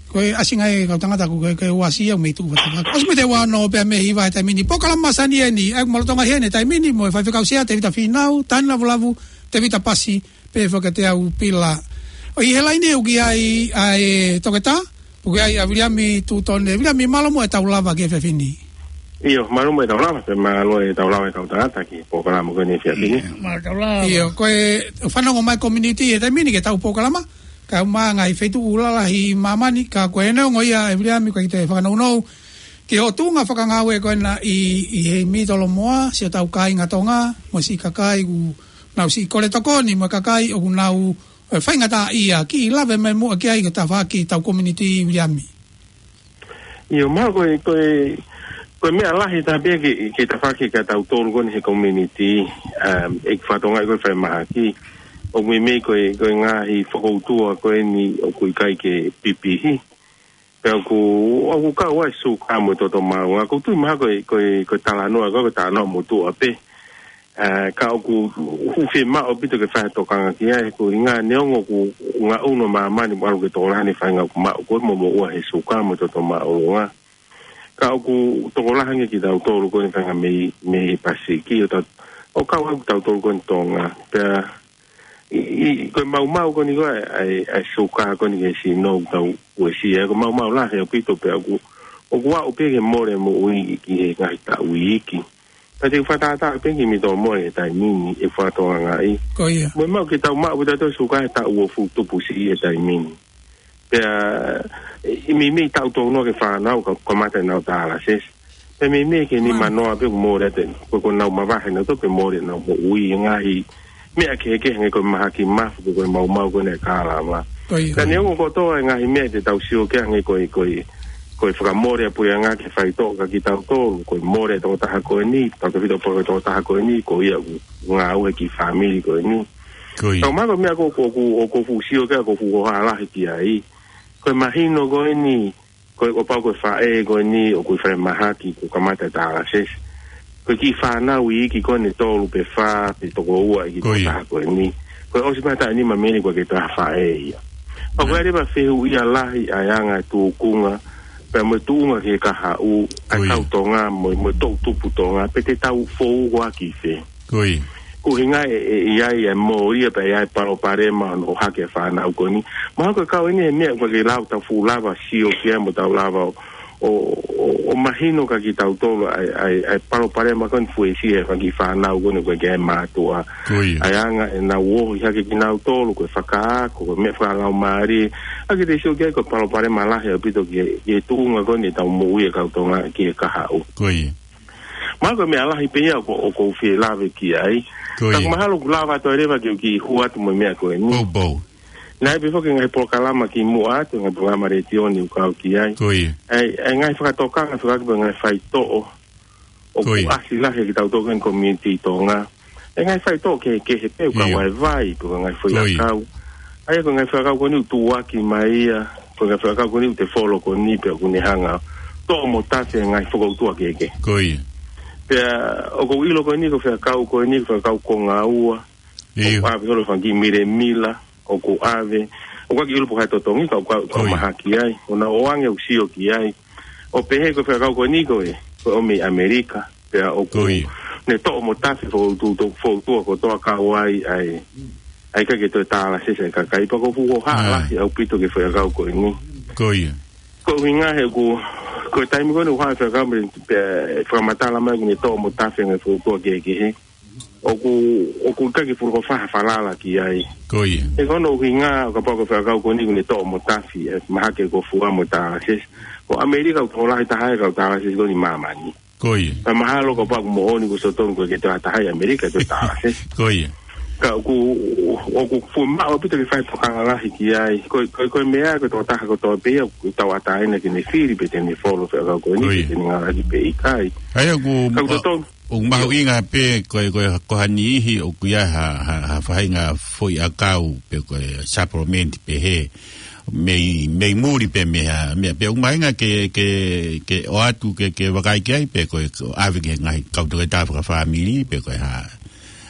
ko e ʻasi ngai kau tangata ko e, ko e ua asia mei tuku vatavaka. ʻOsi miniti ua ono pea mei hiva he taimi ni. Polokalama Masani eni, ʻa e malanga ʻi he taimi ni, mo e faifekau sea, Tevita Fīnau, Tani Lavulavu, Tevita Pasi, pea fakatau pila. ʻOku ʻi he laine ʻoku ʻi ai ʻa e toketā, ʻoku ʻi ai ʻa Viliami Tutone. Viliami, mālō muʻa e tau lava ki he efiafi ni. ʻIo, mālō muʻa e tau lava, pea mālō e tau lava e kau tangata ki he polokalama ko eni he efiafi ni. ʻIo, mālō tau lava. ʻIo, ko e fanongo mai community he taimi ni ki he tau polokalama, ka ʻoku ʻi ai e ngaahi feituʻu lalahi ʻi māmani, ka ko e neongo ia ʻe Viliami, ʻoku ʻikai te fakanounou ki hoʻo tuʻunga fakangāue ko ena ʻi, ʻi he mitolomoa, siʻotau kāinga Tonga, mo siʻi kakai ʻoku nau siʻi kole tokoni, mo e kakai ʻoku nau, ē, faingataʻaʻia, kiʻi lave mai muʻa ki ai ki he tafaʻaki tau community, Viliami. ʻIo, mālō, ko e, ko e, ko e meʻa lahi taha pē ki, ki he tafaʻaki ka tau tolu ko eni he community, um, ʻeku fakatokangaʻi ko e falemahaki. ʻOku meimei ko e, ko e ngaahi fokoutua ko eni ʻoku ʻikai ke pipihi. Pea ʻoku, ʻoku kau ai e suka mo e toto maʻolunga. ʻOku ou tui mahalo ko e, ko e, ko e talanoa, ko e, ko e talanoa motuʻa pē. Ē, ka ʻoku, ʻoku fiemaʻu ʻaupito ke fai ha tokanga ki ai, ko e ʻuhinga neongo ʻoku ngaʻunu ʻa māmani mo ʻalu ke tokolahi ʻene faʻahinga ʻoku maʻu ko ē mo moʻua he suka mo e toto maʻolunga. Ka ʻoku tokolahi ange kitautolu ko eni faʻahinga mei, mei he Pasifiki, ʻo tau, ʻo kau ai kitautolu ko eni Tonga. Pea, ʻi, ʻi, ko e maumau ko eni ko e, ʻa e, ʻa e suka ko eni ki he sino ʻoku tau uesia, ko e maumau lahi ʻaupito pea ʻoku, ʻoku aʻu pē ke mole moʻui ki he ngaahi taʻu iiki. Ka te u fakatātā pē ki mitolomoa he taimi ni ʻeku fakatokangaʻi. Ko ia. Mo e maʻu ke tau maʻu pē tautolu suka he taʻu uofulu tupu siʻi he taimi ni. Pea, ʻi meimei taʻu tolu noa ke fānau ka, kamata ʻenau tālasesi. Pea meimei ke nima noa pē ʻoku mole atu, ko, ko ʻenau mavahe nautolu pea mole ʻenau moʻui he ngaahi meʻa kehekehe hangē ko e mahaki mafu, ko e maumau ko eni ʻa e kālava. Ko ia. Ka neongo kotoa e ngaahi meʻa te tau sio ki ai hangē ko e, ko e, ko e fakamole ʻa e puleʻanga ki he faitoʻo kia kitautolu, ko e mole ʻa e tokotaha ko eni, tautefito pē ko e tokotaha ko eni, ko ia ʻoku ngāue ki he fāmili ko eni. Ko ia. Ka ʻoku mahalo ko e meʻa ko, ko, ko, ʻoku ou fuʻu sio ki ai, ʻoku ou fuʻu hohaʻa lahi ki ai. Ko e mahino ko eni, ko e, ʻo kapau ko e faʻē ko eni ʻoku ʻi falemahaki kuo kamata e tālasesi. Ko e kiʻi fānau iiki ko eni ʻe tolu pe fā pe toko ua ʻi he tokotaha ko eni. Ko e ʻosi pē ha taʻu ʻe nima mei heni kuo ʻikai ke toe ha faʻē ia. Pea ko e ʻai leva fehuʻia lahi ʻa e anga e tūkunga, pea mo e tuʻunga ki he kahaʻu, ʻa e kau Tonga, mo, mo e toʻutupu Tonga, pe te tau fou ʻaki fē. Ko ia. Ko e ʻuhinga ʻe, ʻe, ʻe ʻi ai e mōlia pea ʻi ai e palopalema hono ʻohake e fānau ko eni. Mahalo ko e kau eni he meʻa ʻoku ʻikai ke lava tau fuʻu lava sio ki ai mo tau lava ʻo, ʻo, ʻo, ʻo mahino kia kitautolu ʻa e, ʻa e, ʻa e palopalema ko eni fuesia he fanga kiʻi fānau ko eni ʻoku ʻikai ke ʻi ai e mātuʻa. Ko ia. ʻA e anga ʻenau ohi hake kinautolu, ko e fakaako, ko e meʻa fakalaumālie. ʻA ia ke te sio ki ai ko e palopalema lahi ʻaupito ki he, ki he tuʻunga ko eni ʻetau moʻui ʻa e kau Tonga ki he kahaʻu. Ko ia. Mahalo ko e meʻa lahi pē ia ʻoku, ʻoku ou fie lave ki ai. Ko ia. Ka ʻoku mahalo kuo lava atu ai leva ke u kiʻi hū atu mo e meʻa ko eni. Poupou. Naʻe ʻi ai pē foki e ngaahi polokalama kimuʻa atu, ngaahi polokalama letiō ni ʻoku ou kau ki ai. Ko ia. ʻA e, ʻa e ngaahi fakatokanga, fakatokanga ki he ngaahi faitoʻo ʻoku ʻasi lahi ʻa kitautolu ko eni community Tonga. ʻA e ngaahi faitoʻo kehekehe pē, ʻoku kau ai e vai, pe ko e ngaahi foʻi ʻakau. ʻA ia ko e ngaahi foʻi ʻakau ko eni ʻoku tuʻuaki mai ia, ko e ngaahi foʻi ʻakau ko eni ʻoku te follow ko eni pea ʻoku ne hanga ʻo toʻo mo tafe e ngaahi fokoutua kehekehe. Ko ia. Pea ʻoku ou ʻilo ko eni ko e foʻi ʻakau ko eni, ko e foʻi ʻakau konga ua. ʻIo. ʻOku ʻave holo e fanga kiʻi milemila, ʻoku ʻave. ʻOku ʻikai ke u ʻilo pe ko e hā e totongi, ka ʻoku, ʻoku mahaki ai. ʻOku ou ʻoange ʻeku sio ki ai. ʻO pehē ko e foʻi ʻakau ko eni ko e, ko e ʻomi ʻi ʻAmelika. Pea ʻoku ne toʻo mo tafe e fokoutua, fokoutua kotoa kau ai, ʻa e, ʻa e ʻikai ke toe tālasesi e kakai. Pea ʻoku ou fuʻu hohaʻa lahi ʻaupito ki he foʻi ʻakau ko eni. Ko ia. Ko e ʻuhinga he ʻoku, ko e taimi ko eni ʻoku hā e foʻi ʻakau mei, pea fakamatala mai ʻoku ne toʻo mo tafe e ngaahi fokoutua kehekehe. ʻOku, ʻoku ʻikai ke fuʻu loko fai ha falala ki ai. Ko ia. He ko hono ʻuhinga, ʻo kapau ko e foʻi ʻakau ko eni ʻoku ne toʻo mo tafe, ʻe mahaki e kofua mo e tālasesi. Ko ʻAmelika ʻoku tokolahi taha e kau tālasesi ko eni ʻi māmani. Ko ia. Pea mahalo kapau ʻoku moʻoni kuo ʻosi totonu ʻoku ʻikai ke toe ʻi ai ha taha ʻi ʻAmelika ʻe toe tālasesi. Ko ia. Ka ʻoku, ʻoku fuʻu maʻu ʻaupito ke fai e tokanga lahi ki ai. Ko, ko, ko e meʻa ko e tokotaha kotoa pē ia ʻoku tauʻatāina ke ne fili pe te ne follow e foʻi ʻakau ko eni, pe te ne ngāueʻaki pe ʻikai. ʻA ia ʻoku, ka ʻoku totonu. ʻOku mahuʻinga pē ko e, ko e, ko ha niʻihi ʻoku ʻi ai ha, ha, ha faʻahinga foʻi ʻakau pe ko e supplement pehē mei, mei muli pē mei ha, mei, pea ʻoku mahuʻinga ke, ke, ke ʻoatu ke, ke vakai ki ai pe ko e, ko e ʻave ki he ngaahi kau toketā fakafāmili pe ko e hā.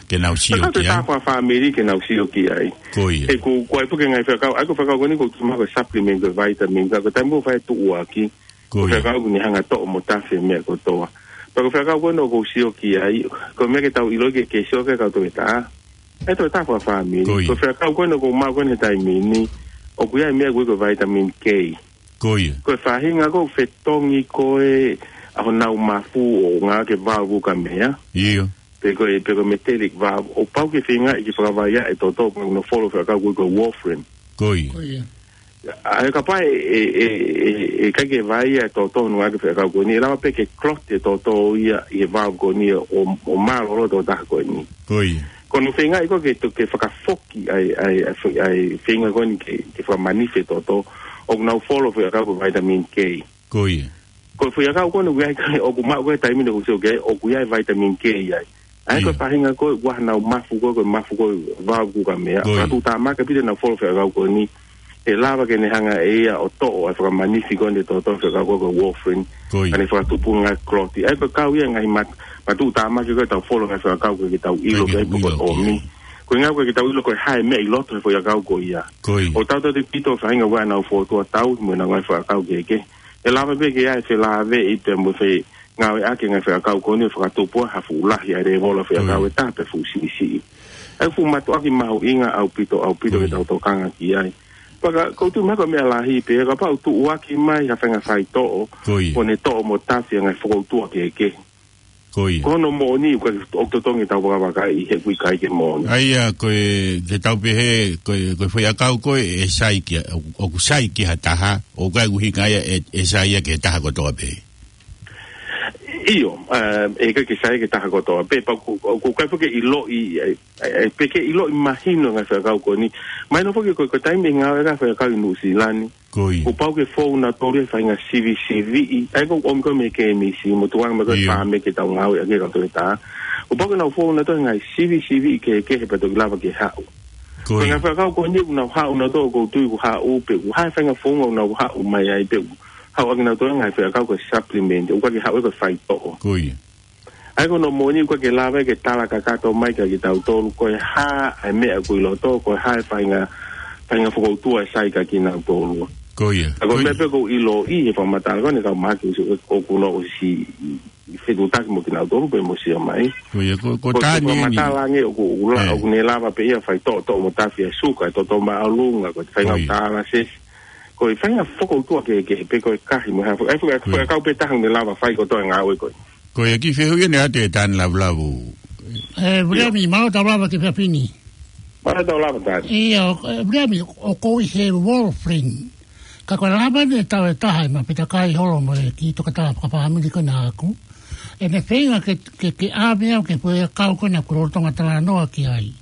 Ke nau sio ki ai. Ko e taha fakafāmili ke nau sio ki ai. Ko ia. He ko, ko e ʻai foki e ngaahi fekau, ʻa ia ko e fekau ko eni ko e tau maʻu ko e supplement ko e vitamin, ka ko e taimi ko ē ʻoku fai e tuʻuaki, ko e fekau ko eni hanga ʻo toʻo mo tafi e meʻa kotoa. Pea ko e fekau ko eni ʻoku ou sio ki ai, ko e meʻa ke tau ʻilo ke ke sio ki ai kau toketā. ʻE toketā fakafāmili. Ko ia. Ko e fekau ko eni ʻoku ou maʻu ko eni he taimi ni, ʻoku ʻi ai e meʻa ko e vitamin K. Ko ia. Ko e faʻahinga ko e fetongi ko ē ʻa honau mafu ʻo ngāueʻaki e valve glucose. ʻIo. Pe ko e, pe ko e metallic valve, ʻoku pau ke feingaʻi ke fakavaivai e toto, pea ʻoku nau follow e fekau ko e warfarin. Ko ia. Ko ia. ʻA ia kapau ʻe, ʻe, ʻe, ʻe, ʻe ʻikai ke vaivai e toto ʻi he ngāueʻaki e fekau ko eni, ʻe lava pē ke clot e toto ia ʻi he valve ko eni ʻo, ʻo mālōlō e tokotaha ko eni. Ko ia. Ko hono feingaʻi ko ē ke to-, ke fakafoki ʻa e, ʻa e, ʻa e fe-, ʻa e feinga ko eni ke, ke fakamanifi e toto, ʻoku nau follow e fekau ko e vitamin K. Ko ia. Ko e foʻi ʻakau ko eni ʻoku ʻi ai, ʻoku maʻu ko ē he taimi ni ʻoku ou sio ki ai, ʻoku ʻi ai e vitamin K ai. ʻA ia ko e faʻahinga ko ē ʻoku ʻi ai honau mafu ko ē, ko e mafu ko ē valve glucose. Ko ia. Ka tuʻutāmaki pē te nau follow e fekau ko eni, ʻe lava ke ne hanga ʻe ia ʻo toʻo e fakamanifi ko eni e toto he fekau ko ē warfarin. Ko ia. Ka ne fakatupu e ngaahi clot. ʻA ia ko e kau ia e ngaahi mat-, matuʻutāmaki ko ē ʻetau follow e ngaahi fekau ko ē ke tau ʻilo ki ai pe ko e ʻomi. Ko e ʻuhinga ko ē ke tau ʻilo ko e hā e meʻa ʻi loto he foʻi ʻakau ko ia. Ko ia. ʻOku tautautefito e faʻahinga ʻoku ʻi ai honau fōtunga tauhi mo ʻenau ngaahi fekau kehekehe. ʻE lava pē ke ʻi ai e felāveʻi pea mo e fengāueʻaki e ngaahi fekau ko eni ʻo fakatupu ai ha fuʻu lahi ʻa e lēvolo e fekau ʻe taha pe fuʻu siʻisiʻi. ʻA ia ko e fuʻu mātuʻaki mahuʻinga ʻaupito, ʻaupito ke tau tokanga ki ai. Pea ka, ʻoku ou tui mahalo ko e meʻa lahi pē, kapau ʻe tuʻuaki mai ha faʻahinga faitoʻo, ʻo ne toʻo mo tafi e ngaahi fokoutua kehekehe. Ko ia. Ko hono moʻoni, ʻoku ʻikai, ʻoku totongi ʻetau vakavakaʻi he ʻoku ʻikai ke moʻoni. ʻA ia, ko e, te tau pehē, ko e, ko e foʻi ʻakau ko ē ʻe sai ki, ʻoku sai ki ha taha, ʻoku ʻikai ko e ʻuhinga ia ʻe, ʻe sai ia ki he taha kotoa pē. ʻIo, ē, ʻe ʻikai ke sai ki he taha kotoa pē, pea ʻoku, ʻoku ʻikai foki ke ʻiloʻi, ē, ē, pe ke ʻiloʻi mahino e ngaahi fekau ko eni. Mahino foki ko, ko e taimi ʻe ngāueʻaki e ngaahi fekau ʻi Nuʻusila ni. Ko ia. Kuo pau ke fou nautolu he faʻahinga sivisiviʻi. ʻA ia ko e ʻomi ko ē mei he kemisi, mo tuʻunga mai ko ē ʻa e faame ke tau ngāueʻaki ʻe kau toketā. Kuo pau ke nau fou nautolu he ngaahi sivisiviʻi kehekehe pea toki lava ke haʻu. Ko ia. Ko e ngaahi fekau ko eni ʻoku nau haʻu nautolu ʻoku ou tui ʻoku haʻu pē ʻoku ʻi ai e faʻahinga founga ʻoku nau haʻu mai ai pē ʻoku haʻu ʻaki nautolu e ngaahi fekau ko e supplement. ʻOku ʻikai ke haʻu ia ko e faitoʻo. Ko ia. ʻA ia ko hono moʻoni ʻoku ʻikai ke lava ke tala kakato mai kia kitautolu, ko e hā e meʻa ʻoku ʻi loto, ko e hā e faʻahinga, faʻahinga fokoutua ʻe sai kia kinautolu. Ko ia. ʻA ia ko e meʻa pē ʻoku ou ʻiloʻi he fakamatala ko eni ʻa e kau mahaki ʻoku, ʻoku nau ʻosi fetuʻutaki mo kinautolu pea mo sio mai. Ko ia, ko, ko e taimi ni. Ko e fakamatala ange ʻoku, ʻoku la-, ʻoku ne lava pē ia faitoʻo, toʻo mo tafi e suka, e toto māʻolunga, ko e faʻahinga ʻoku tālasesi. Ko e faʻahinga fokoutua kehekehe pē ko e kahi mo e hā. ʻA ia ko e ʻakau pē taha ʻoku ne lava fai kotoa e ngāue ko ē. Ko ia, kiʻi fehuʻi eni ʻa Tētani Lavulavu. Ē, Viliami, mālō e tau lava ki he efiafi ni. Mālō e tau lava, Tani. ʻIo, ē, Viliami, ʻoku ou ʻi he warfarin. Ka ko e lava eni e tau ʻe taha ʻe maʻu pē takai holo mo e kiʻi toketā fakafāmili ko ena ʻaʻaku. ʻE ne feinga ke, ke, ke ʻave au ki he foʻi ʻakau ko ena ʻoku lolotonga talanoa ki ai.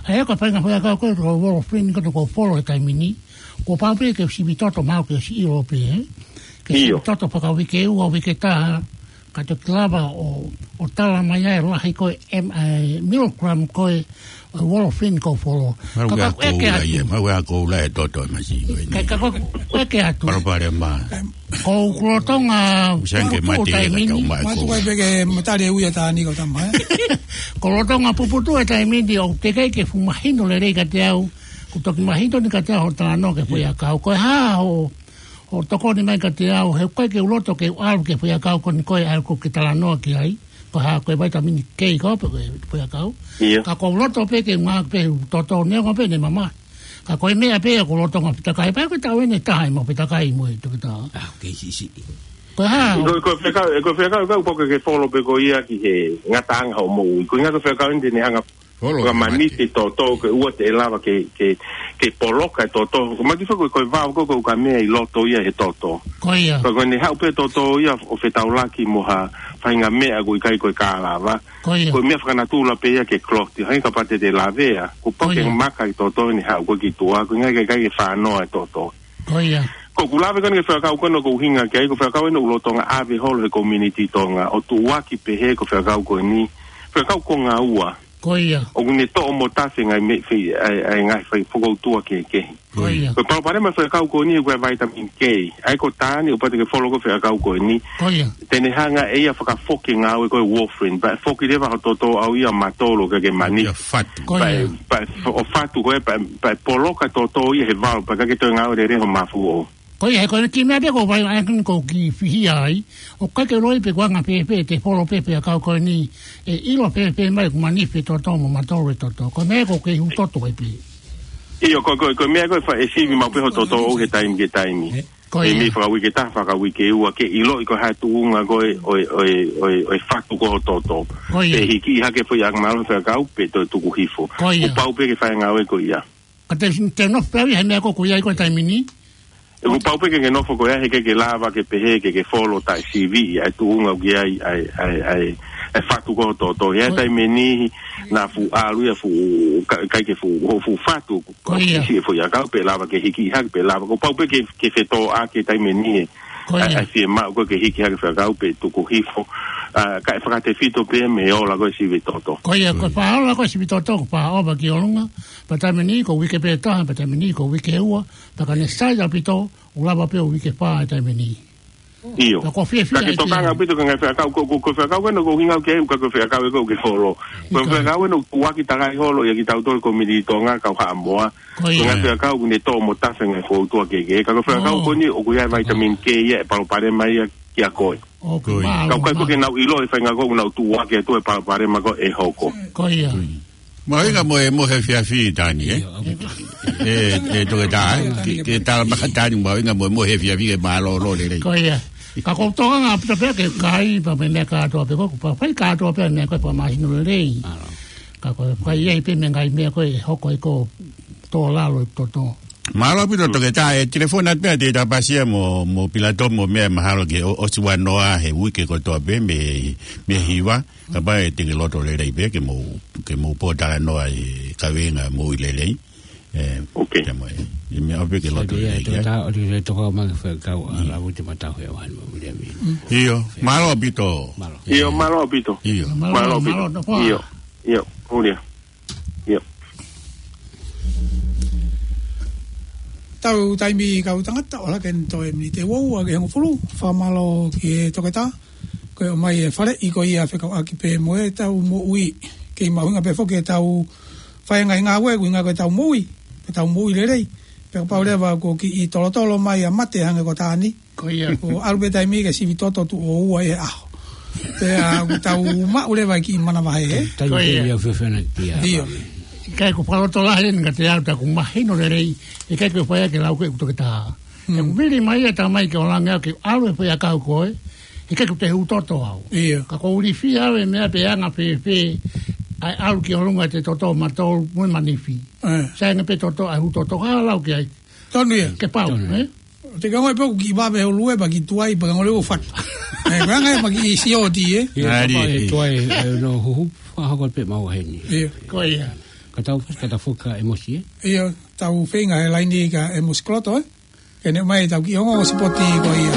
ʻA ia ko e faʻahinga foʻi ʻakau ko ē ko e warfarin ko ena ʻoku ou follow he taimi ni. Kuo pau pē ke u sivi toto maʻu ke u ʻosi ʻilo pē, ē? Ke sivi toto fakauike ua, uike taha, ka toki lava ʻo, ʻo tala mai ai e lahi ko ē, em, ē, milligram ko ē, ē, warfarin ʻoku ou follow. Ka, ka ʻoku ʻeke atu. Mau ʻa koula e toto e masi ko ē. Ka, ka ʻoku ʻeke atu. Palopalema. Ko e lolotonga puputuʻu e taimi ni. Matu kai pē ke matali e ui ʻa Tani ko tama, ē? Ko e lolotonga puputuʻu e taimi ni ʻoku teʻeki ke fuʻu mahino lelei kiate au. Kuo toki mahino eni kiate au hoʻo talanoa ki he foʻi ʻakau. Ko e hā hoʻo, hoʻo tokoni mai kiate au, he ʻoku ʻikai ke u loto ke u ʻalu ki he foʻi ʻakau ko eni ko ē ʻoku ke talanoa ki ai. Ko e hā, ko e vitamin K ko ē pe ko e foʻi ʻakau. ʻIo. Ka ʻoku ou loto pē ke ngāueʻaki pē he toto neongo pē ʻene mamahi. Ka ko e meʻa pē ʻoku ou loto ngāueʻaki pē takai, pea ko e tau eni ʻe taha ʻe maʻu pē takai mo e toketā. ʻA, ʻoku kei siʻisiʻi. Ko e hā. Ko, ko e fekau, ko e fekau, ka ʻoku pau ke ke follow pē koe ia ki he ngataʻanga hoʻo moʻui. Ko e ʻuhinga ko e fekau eni te ne hanga ʻo fakamanifi e toto, ke ʻoua te ne lava ke, ke, ke poloka e toto. Ko e maki fekau ko e valve ko ē ʻoku ʻi ai e meʻa ʻi loto ia he toto. Ko ia. Ka ko ʻene haʻu pē toto ia ʻo fetaulaki mo ha faʻahinga meʻa ʻoku ʻikai ko e kālava. Ko ia. Ko e meʻa fakanatula pē ia ke clot. Hangē kapau te te lavea. Kuo pau ke maka e toto ʻene haʻu ko ē ki tuʻa. Ko e ʻuhinga ʻoku ʻikai ke fānoa e toto. Ko ia. Ko ʻeku lave ko eni ki he fekau ko ena ʻoku ou ʻuhinga ki ai, ko e fekau ena ʻoku lolotonga ʻave holo he community Tonga, ʻo tuʻuaki pehē ko e fekau ko eni, fekau konga ua. Ko ia. ʻOku ne toʻo mo tafe ngaahi meʻa fei, ʻa e, ʻa e ngaahi fai fokoutua kehekehe. Ko ia. Ko e palopalema fekau ko eni ko e vitamin K. ʻA ia ko Tani, ʻoku pau te ke folo ko e fekau ko eni. Ko ia. Te ne hanga ʻe ia ʻo fakafoki e ngāue ko e warfarin. Pea foki leva ho toto ʻau ia matolo ke ke mani. Ia fatu. Ko ia. Pea, pea fo-, ʻo fatu ko ē, pea, pea poloka toto ia he vao, pea ʻikai ke toe ngāue lelei ho mafu ʻo. Ko ia, he ko e kiʻi meʻa pē ʻoku ou vakai ai ʻoku ou kiʻi fihia ai, ʻoku ʻikai ke u ʻilo pe ko e anga fēfē ʻete folo pē fekau ko eni, ʻe ʻilo fēfē mai ʻoku manifi e toto mo matolo e toto. Ko e meʻa ko ē ʻoku kei hū toto ai pē. ʻIo, ko, ko, ko e meʻa ko ē ʻe fa-, ʻe sivi maʻu pē ho toto ʻoʻou he taimi ki he taimi. Ko ia. Mei he fakauike ʻe taha, fakauike ʻe ua, ke ʻiloʻi ko e hā e tuʻunga ko ē ʻo e, ʻo e, ʻo e, ʻo e fatu ko ē ho toto. Ko ia. Pe hikiʻi hake e foʻi anga mālohi fekau pe toe tuku hifo. Ko ia. ʻOku pau pē ke fai e ngāue ko ia. Ka te, te nofo pē au ia he meʻa ko ē ʻoku ʻi ai ko ē he taimi ni. ʻOku pau pē ke ke nofo ko ia he ʻikai ke lava ke pehē ke ke folo taʻesivi ʻa e tuʻunga ʻoku ʻi ai ʻa e, ʻa e, ʻa e, ʻa e fatu ko ē ho toto. He ʻi ai e taimi ni naʻa fuʻu ʻalu ia fuʻu, ka-, ʻikai ke fuʻu, ho fuʻu fatu. Ko ia. Siʻi e foʻi ʻakau pe lava ke hikiʻi hake pe lava. ʻOku pau pē ke, ke fetōʻaki e taimi ni ē. Ko ia. ʻA e, ʻa e fiemaʻu ko ē ke hikiʻi hake e fekau pe tuku hifo. ʻA, kae fakatefito pē mei he ola ko ē e sivi toto. Ko ia, ko e faʻa ola ko ē e sivi toto, ko e faʻa ʻova ki ʻolunga. Pea taimi ni ko e uike pē ʻe taha, pea taimi ni ko e uike ʻe ua, pea ka ne sai ʻaupito, ʻoku lava pē ʻo uike ʻe fā he taimi ni. ʻIo. Pea ʻoku ou fiefia ai pē. Ka ke tokanga ʻaupito ki he ngaahi fekau, ko, ko, ko e fekau ē naʻa ʻoku hinga au ki ai, ʻoku ʻikai ko e fekau ē ʻoku ou kei folo. Ko e fekau ē naʻa ʻoku tuʻuaki takai holo ia kitautolu ko e komiunitī Tonga, kau Haʻamoa. Ko ia. Ko e ngaahi fekau ʻoku ne toʻo mo tafe ngaahi fokoutua kehekehe. Ka ko e fekau ko eni ʻoku ʻi ai e vitamin K ia ʻe palopalema ia kia koe. ʻOku mālō. Ka ʻoku ʻikai ko ē ke nau ʻilo e faʻahinga ko ē ʻoku nau tuʻuaki atu e palopalema ko ē ʻe hoko. Ko ia. Mahuʻinga mo e mohe efiafi Tani, ē? ʻIo, ʻoku. ʻE, ʻe Toketā, ē? Ke, ke tala mai kia Tani mahuʻinga mo e mohe efiafi ke mālōlō lelei. Ko ia. Ka ʻoku ou tokanga ʻaupito pē ki he kai, pea mo e meʻa kātoa pē ko ē, ʻoku pau ke fai kātoa pē e meʻa ko ē fakamālohisino lelei. Ka ko e fai ai pē mo e ngaahi meʻa ko ē ʻe hoko ai ko e tō lalo e toto. Mālō ʻaupito Toketā, ʻe telefoni atu pē ʻa Tēvita Pasia mo, mo Pilato mo e meʻa mahalo ke ʻo, ʻosi ua noa he uike kotoa pē mei, mei he hiva, kapau ʻe te ke loto lelei pē ke mou, ke mou pōtalanoa he kaveinga Moʻui Lelei. ʻE, ʻOkei. Ia mo e, ʻe meʻa ʻaupito ke loto lelei, ē? Toketā, ʻoku ou tokanga ki he fekau ʻa Lavu Te Matau he ʻaho ni mo Viliami. ʻIo, mālō ʻaupito. Mālō. ʻIo, mālō ʻaupito. ʻIo. Mālō, mālō ʻaupito. Mālō, mālō. ʻIo, ʻio, ʻo ia. ʻIo. Tau taimi kau tangata, ʻoku ʻalu hake eni toe miniti ʻe uaua ki he hongofulu, fakamālō ki he Toketā, ko e ʻomai e faleʻi ko ia fekauʻaki pē mo ʻetau moʻui, kei mahuʻinga pē foki ʻetau fai e ngaahi ngāue, ʻuhinga ko ʻetau moʻui, ʻetau moʻui lelei, pea kapau leva ʻoku kiʻi tolotolo mai ʻa mate hangē ko Tani, Ko ia. ʻOku ʻalu pē taimi ke sivi toto tuʻo ua he ʻaho. Pea ʻoku tau maʻu leva e kiʻi manavahē, ē? Taimi Ko ia. Ia fefena kia ʻIo. Vame. ʻIkai ko e fakalotolahi eni ka te ʻalu ta ʻoku mahino lelei, ʻikai ko e fai ke lau ke ʻoku Toketā. Hmm. ʻOku vili mai ia ta mai ke ʻo langi au ke ʻalu e fai ʻakau ko ē, ʻikai ko ʻete hū toto au. ʻIo. Ka ʻoku ou ilifia au e meʻa pe anga fēfē, ʻa e ʻalu ki ʻolunga ʻete toto matolo mo e manifi. Eh. Sai ange pē toto ʻa e hū toto ka lau ki ai. Tonu ia. Ke pau, Tonu. ʻE? Te ka ngoi pē ʻoku kiʻi vave ho lue pea kiʻi tuai pea ka ngoi lue ʻo fatu. ʻE, ko e anga ia pea kiʻi sioti, ē? Ia, Ngari. Kapau ʻe tuai, ʻe, no huhu, fakahoko pē mau heni. Ia. Ko ia. Ka tau, ka tau foki kia ʻEmosi, ē? Ia, tau feinga he laini kia ʻEmosi Koloto, ē? Ke ne ʻomai ʻetau kiʻi ongo sipoti ko ia.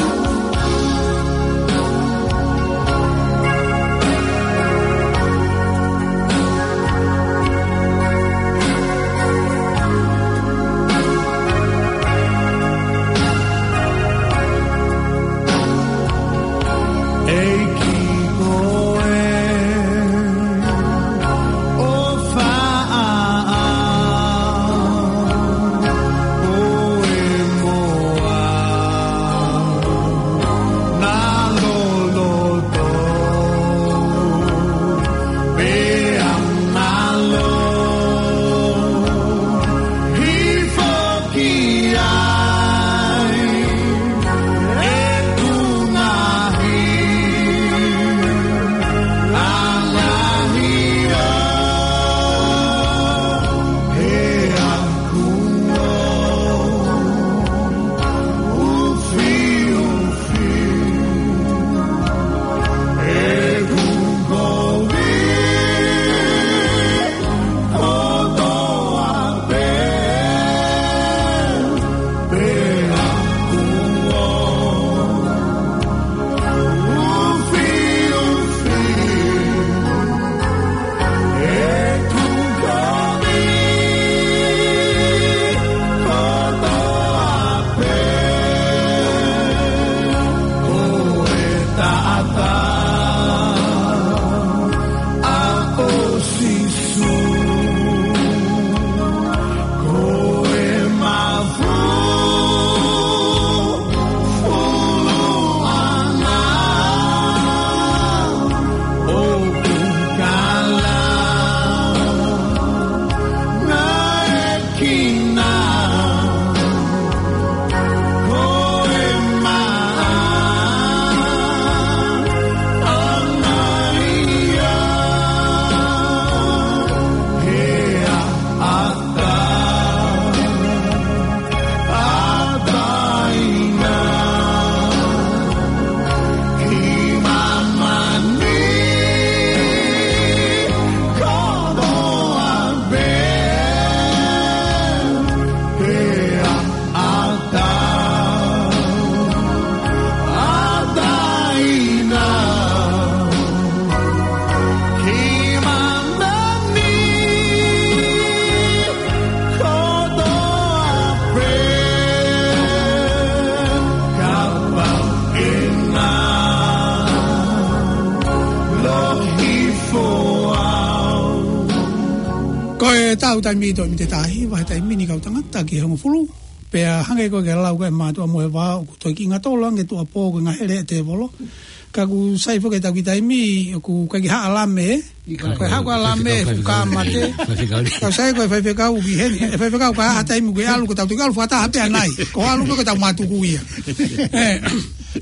Tau taimi ʻi he toe miniti ʻe taha, vahe taimi ni kau tangata ki he hongofulu. Pea hangē ko e ke lau ko e mātuʻa mo e vā, ʻoku toe kiʻi ngatolo ange tuʻuapō ko e ngahele e tēvolo. Ka ʻoku sai foki e tau kiʻi taimi, ʻoku ʻikai ke haʻu ʻa Lame, ē? Ko e haʻu ko ʻa Lame, fuka mate. Ka sai ko e faifekau ki heni, e faifekau ka ha taimi ko e ʻalu, ko tau toki ʻalu fakataha pē ʻanai. Ko e ʻalu pē ko tau mātuku ia. Ē,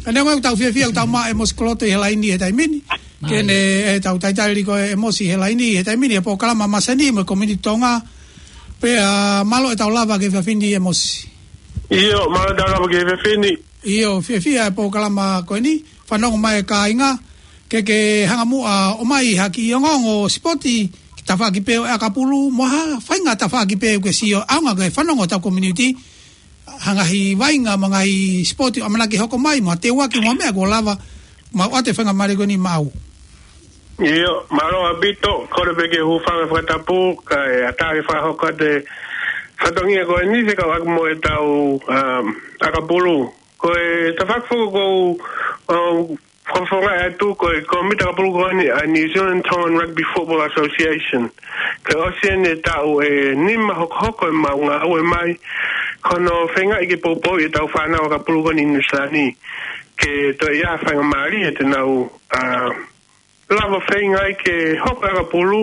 ʻa eni ko e tau fiefia, ko tau maʻu ʻa ʻEmosi Koloto ʻi he laini he taimi ni. Ke ne, ē, tau talitali ko ʻEmosi he laini he taimi ni, he polokalama masani mo e Community Tonga. Pea mālō e tau lava ki he efiafi ni ʻEmosi. ʻIo, mālō e tau lava ki he efiafi ni. ʻIo, fiefia e polokalama ko eni, fanongo mai e kāinga, ke ke hanga muʻa ʻo ʻomai ha kiʻi ongoongo sipoti, ki he tafaʻaki pē ʻo e ʻakapulu, mo ha faʻahinga tafaʻaki pē ʻoku ke sio, ʻaonga ke fanongo ʻa e tau community, ha ngaahi vaʻinga mo e ngaahi sipoti ʻoku ʻamanaki hoko mai, mo ha teuaki mo ha meʻa kuo lava, maʻu ʻa e faingamālie ko eni maʻau. ʻIo, mālō ʻaupito, kole pē ke u hūfanga he fakatapu, kae ʻatā ke fakahoko atu e fatongia ko eni fekauʻaki mo e tau, um, ʻakapulu. Ko e tafaʻaki foki ʻoku ou, um, fakafofongaʻi atu ko e Kōmiti ʻAkapulu ko eni ʻa e New Zealand Tongan Rugby Football Association. Kuo ʻosi eni e taʻu ʻe nima hokohoko ʻemau ngāue mai, ko hono feingaʻi ke poupouʻi e tau fānau ʻakapulu ko eni ʻi Nuʻusila ni, ke toe ʻi ai ha faingamālie te nau, ā, lava feingaʻi ke hoko e ʻakapulu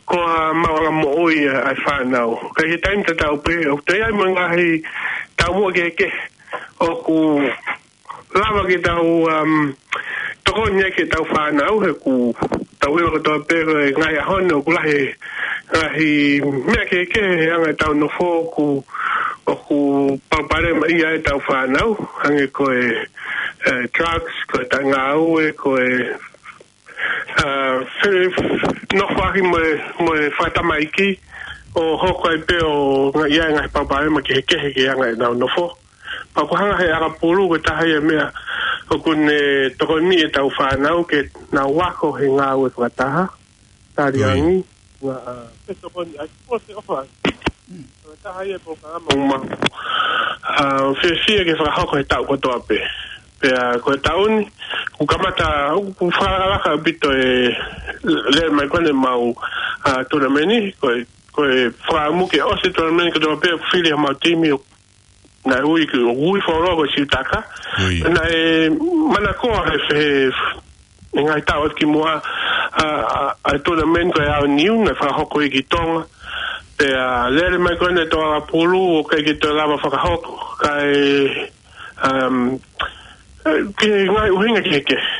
ko ha maʻuʻanga moʻui ʻa e fānau. Ka ʻi he taimi tatau pē, ʻoku toe ʻi ai mo e ngaahi taumuʻa kehekehe ʻoku lava ke tau, um, tokoni ai ki he tau fānau, he ʻoku tau ʻilo kotoa pē ko e ngaahi ʻaho ni ʻoku lahi e ngaahi meʻa kehekehe he anga e tau nofo ʻoku, ʻoku palopalemaʻia ai e tau fānau, hangē ko e, e drugs, ko e taʻengāue, ko e, ā, fe-, nofoʻaki mo e, mo e fakatamaiki, ʻo hoko ai pē ʻo nga-, ʻi ai e ngaahi palopalema kehekehe ki he anga e tau nofo. Pea ʻoku hanga he ʻakapulu ko e taha ia e meʻa ʻoku ne tokoniʻi e tau fānau ke nau ako he ngāue fakataha, tali angi, ngā, ā, pe tokoni ai, ko e ʻofa ai. Ko e taha ia e polokalama ʻoku mau, ā, fiefia ke fakahoko he taʻu kotoa pē. Pea ko e taʻu ni, ʻoku kamata, ʻoku fakalakalaka ʻaupito e lele mai ko eni ʻemau, ā, tournament, ko e, ko e fakaʻamu ke ʻosi e tournament kotoa pē, fili ʻemau timi ʻo naʻe ui ki, ʻo ui fuoloa ko Siutaka. Naʻe manakoa he, he, he ngaahi taʻu atu ki muʻa, ā, ā, ʻa e tournament ko e Aoniu, naʻe fakahoko ia ki Tonga. Pea lele mai ko eni e tau ʻakapulu, ʻoku ʻikai ke toe lava fakahoko, kae, um, ē, ki he ngaahi ʻuhinga kehekehe.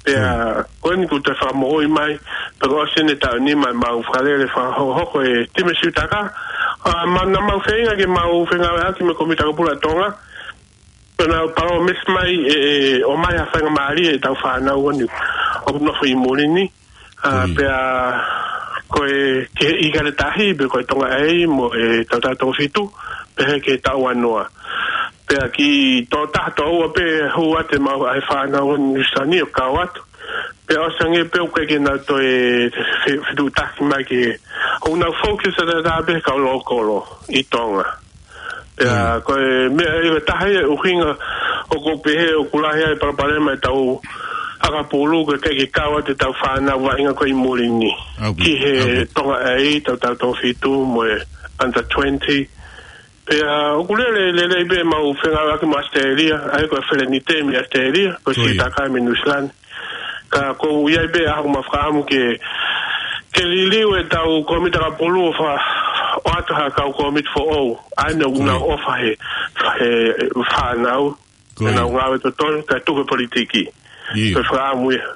Pea ko eni kuo toe fakamoʻui mai, pea kuo ʻosi eni e taʻu ʻe nima ʻemau fakalele fakahokohoko e timi Siutaka, ā, ma-, naʻa mau feinga ke mau fengāueʻaki mo e Kōmiti ʻAkapulu ʻa Tonga, pea nau palōmesi mai ʻe, ʻe ʻomai ha faingamālie e tau fānau ko eni ʻoku nofo ʻi muli ni, ā, pea ko e ki he ʻIkale Tahi, pe ko e Tonga A mo e Tautau Toko Fitu, pehē ki he Taʻuanoa. Pea kiʻi tokotaha, tokoua pē hū atu ʻemau ʻa e fānau ʻo Nuʻusila ni ʻo kau atu. Pea ʻosi ange pē ʻoku ʻikai ke nau toe fe-, fetuʻutaki mai ki he, ʻoku nau focus ʻataʻatā pē he kau lōkolo ʻi Tonga. Pea ko e meʻa ia ko e taha ia e ʻuhinga ʻoku ou pehē ʻoku lahi ai e palopalema e tau ʻakapulu, ko e ʻikai ke kau atu e tau fānau vaʻinga ko ē ʻi muli ni ki he Tonga A, Tautau Toko Fitu mo e under twenty. Pea ʻoku lele, lele pē ʻemau fengāueʻaki mo ʻAositelēlia, ʻa ia ko e Felenite mei ʻAositelēlia, ko Siutaka mei Nuʻusila ni. Ka ʻoku ʻi ai pē ʻa haʻaku mau fakaʻamu ke, ke liliu e tau Kōmiti ʻAkapulu ʻo fa-, ʻoatu ha kau kōmiti foʻou, ʻa ia ʻoku nau ʻofa he, he fānau, ke nau ngāue totonu, kae tuku e politiki. Ko e fakaʻamu ia.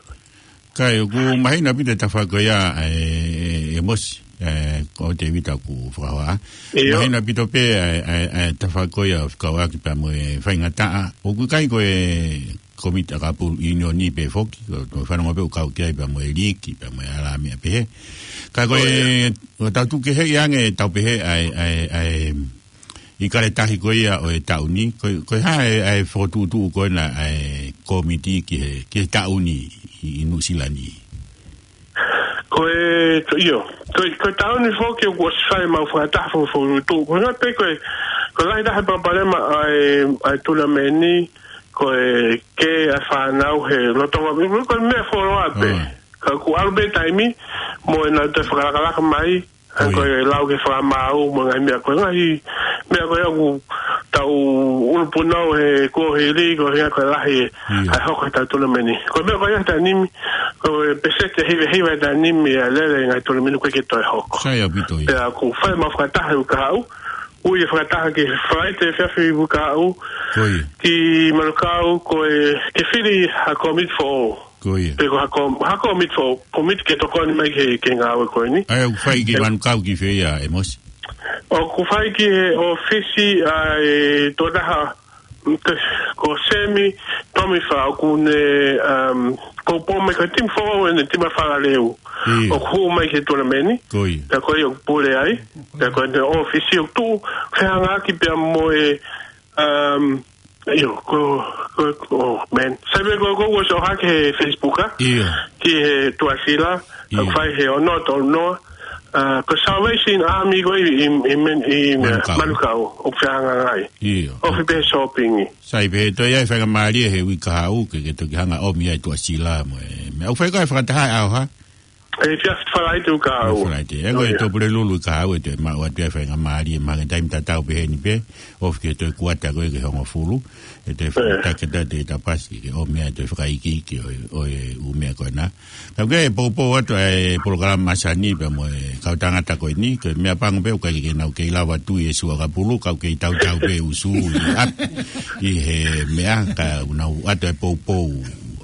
Kae ʻoku mahino ʻaupito e tafaʻaki ko ia, ē, ʻEmosi, ē, ko Tēvita ʻoku fakahoa. Mahino ʻaupito pē, ē, ē, ē, tafaʻaki ko ia ʻo fekauʻaki pea mo e faingataʻa. ʻOku ʻikai ko e Kōmiti ʻAkapulu ʻIunioni pē foki, ko, ko e fanongo pē ʻoku kau ki ai pea mo e liiki, pea mo e alāmeʻa pehē. Ka ko e, ko e tau tuku kehe ange, tau pehē ʻa e, ʻa e, ʻa e, ʻIkale Tahi ko ia ʻo e taʻu ni, ko, ko e hā e, ʻa e fokotuʻutuʻu ko ena ʻa e kōmiti ki he, ki he taʻu ni ʻi, ʻi Nuʻusila ni. Ko e, ko, ʻio, ko e, ko e taʻu ni foki ʻoku ʻosi fai ʻemau fakataha fo-, fokotuʻutuʻu. Ko e ngata pē ko e, ko e lahi taha e palopalema ʻa e, ʻa e tournament ni, ko e kē ʻa e fānau he lolotonga, ko e meʻa fuoloa pē. Ka kuo ʻalu pē taimi, mo ʻenau toe fakalakalaka mai, Ko ia. Ko e lau ki he fakamaau mo e ngaahi meʻa ko ē, ngaahi meʻa ko ē ʻoku tau ʻulupunau he kuohili, ko e hā ko e lahi ʻa e hoko ʻetau tournament ni. Ko e meʻa ko ia he taimi ni, ko e peseti ʻe hiva hiva he taimi ni ʻa e lele e ngaahi tournament ni ʻoku ʻikai ke toe hoko. Sai ʻaupito ia. Pea ʻoku fai ʻemau fakataha he uike kahaʻu, ui e fakataha ki he Falaite efiafi uike kahaʻu, ko ia, ki Manukau, ko e ke fili ha komiti foʻou. Ko ia. Pe ko ha ko-, ha komiti foʻou, komiti ke tokoni mai ki he, ki he ngāue ko eni. ʻA ia ʻoku fai ki Manukau ki fē ia, ʻEmosi? ʻOku fai ki he ʻōfisi ʻa e tokotaha, mm, ko Semi Tomifa, ʻoku ne, um, poupou mai ko e timi foʻou ʻeni, timi fakalelei. ʻIo. ʻOku hū mai ki he tournament ni. Ko ia. Pea ko ia ʻoku pule ai. Pea ko ʻene ʻōfisi ʻoku tuʻu fehangahangai pea mo e, um, ʻio, ko, ko, ko, oh, man. Sai pē ko, ko, ko so hake he Facebook, ʻa? ʻIo. Ki he Tuʻasila, ʻio, ʻoku fai he ono tolu noa. Uh, ko Salvation Army ko ē ʻi, ʻi, ʻi, men-, ʻi, Manukau. Manukau, ʻoku fehangahangai. ʻIo. ʻOfi pē shopping. Sai pē, toe ʻi ai e faingamālie he uike kahaʻu ke, ke toki hanga ʻo ʻomi ai Tuʻasila mo e. Meʻa ʻoku fai ko e fakataha ʻe ʻaho hā? Efiafi Falaite uike kahaʻu. Falaite. ʻE ko e, oh, yeah, Tuʻapulelulu uike kahaʻu ʻe toe maʻu atu e faingamālie, mahalo ko e taimi tatau pē heni pē, ʻofi ki he toe kuata ko ē ki he hongofulu, ʻe toe, eh, fakatake atu e tapasi ke ʻomi ai e toe fakaikiiki ʻo e, ʻo e ʻū meʻa ko ena. Ka ʻoku ke poupou atu e polokalama masani pea mo e kau tangata ko eni, ko e meʻapango pē ʻoku ʻikai ke nau kei lava tui e suakapulu, ka ʻoku kei tautau pē usu ʻi ʻapi ʻi he meʻa, ka ʻoku nau ʻoatu e poupou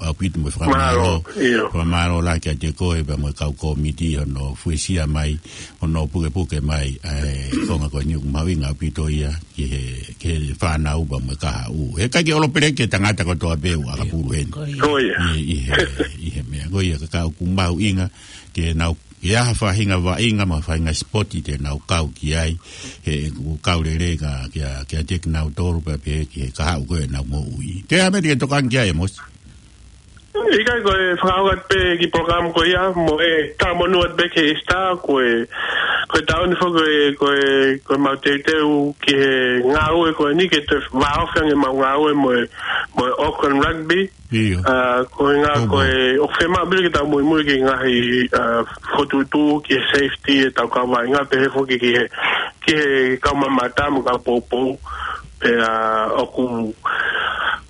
ʻaupito mo e fakamālō. Mālō, ʻio. Fakamālō lahi kiate koe pea mo e kau kōmiti hono fuesia mai, hono pukepuke mai ʻa e konga ko eni ʻoku mahuʻinga ʻaupito ia ki he, ki he fānau pea mo e kahaʻu. He ʻikai ke ʻolopeleki e tangata kotoa pē ʻoku ʻakapulu heni. Ko ia. ʻI, ʻi he, ʻi he meʻa. Ko ia ka, ka ʻoku mahuʻinga ke nau, ʻi ai ha faʻahinga vaʻinga mo e faʻahinga sipoti te nau kau ki ai, he ʻoku kau lelei ka, kia, kiate kinautolu pea pehē ki he kahaʻu ko ē ʻenau moʻui. Ko e hā e meʻa te ke tokanga ki ai, ʻEmosi? ʻIkai, ko e fakaʻaonga pē ki he polokalama ko ia, mo e talamonū atu pē ki he Easter, ko e, ko e taʻu ni foki ko e, ko e, ko ʻemau teuteu ki he ngāue ko eni ke toe vāofi ange ʻemau ngāue mo e, mo e Auckland Rugby. ʻIo. ʻA, ko e ngā, ko e, ʻoku fiemaʻu pē ke tau muimui ki he ngaahi, ʻa, fokotuʻutuʻu ki he safety ʻetau kau vaʻinga pehē foki ki he, ki he kau mamata mo e kau poupou. Pea ʻoku,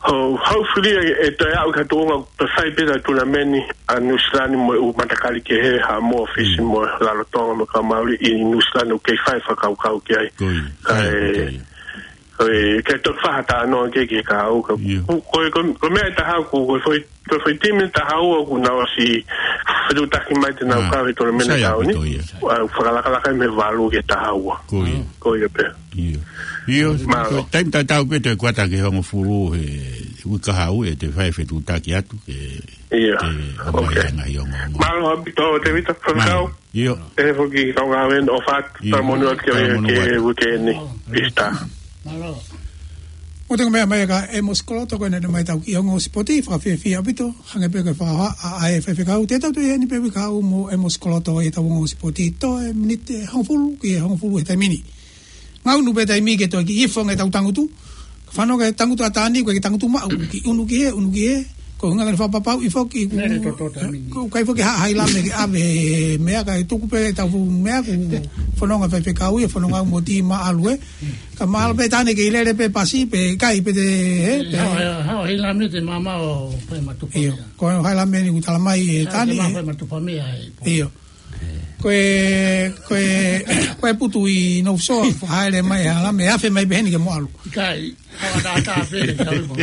ho-, hopefully ʻe, ʻe toe aʻu ki ha tuʻunga ʻoku toe fai pē ʻa e tournament ʻa Nuʻu Sila ni mo e ʻū matakali kehe, Haʻamoa, Fisi, mm, mo e Rarotonga mo e kau Mauli ʻi Nuʻu Sila ni ʻoku kei fai fakakaukau ki ai. Ko ia. Kae, ko ia. Ko e, ke toki fai ha talanoa ki he, ki he kahaʻu ka. ʻIo. Ko, ko, ko, ko e meʻa ʻe taha ʻoku, ko e foʻi, ko e foʻi timi ʻe taha ua ʻoku nau ʻosi fetuʻutaki mai te nau, ah, kau he tournament, sai ʻaupito ia. Kahaʻu ni. ʻA, fakalakalaka mei he valu ki he taha ua. Ko ia. Ko ia pē. ʻIo. ʻIo, mālō. Ko e taimi tatau pē toe kuata ki he hongofulu he uike kahaʻu ʻe toe fai fetuʻutaki atu ke, ʻio, ke ʻomai, okay, e ngaahi ongoongo. Mālō ʻaupito, Tēvita, mālō. Faifekau. ʻIo. Pehē foki kau ngāue ʻofa atu, ʻio, talamonū atu ki he, talamonū atu, ki he uike ni, Easter. Mālō. Mou toki meʻa mai kia ʻEmosi Koloto ko ena naʻe ʻomai ʻetau kiʻi ongo sipoti, fakafiefia ʻaupito, hangē pē ko e fakahohaʻa ʻa e faifekau, te tau toe ʻi heni pē uike kahaʻu mo ʻEmosi Koloto ʻi heʻetau ongo sipoti, toe miniti ʻe hongofulu ki he hongofulu he taimi ni. Ngaunu pē taimi ke toe kiʻi ifo ange ʻetau tangutu. Fanongo ki he tangutu ʻa Tani, ko e kiʻi tangutu maʻu, kiʻi unu ki hē, unu ki hē. Ko e ʻuhinga ke fakapapauʻi foki ʻoku, lele toto taimi ni, ʻoku ʻikai foki ha hailame ke ʻave he meʻa, kae tuku pē ʻetau fuʻu meʻa, ʻoku fononga faifekau ia, fononga mo e timi ʻalu ē. Ka mahalo pē Tani ke ʻi lele pē pasi, pe ʻikai pē te, ē, pē. Hao, hao hailame te mama o pe matupa. ʻIo, ia. Ko e hailame ni ʻoku talamai ʻe Tani, ē. Hao te mama pe matupa mea ē. ʻIo. Ko e, ko e, ko e putu ʻi North Shore, haele mai ʻa e hailame, ʻe afe mai pē heni ke mo ʻalu. ʻIkai, ʻo ata ata pē, ʻikai mo.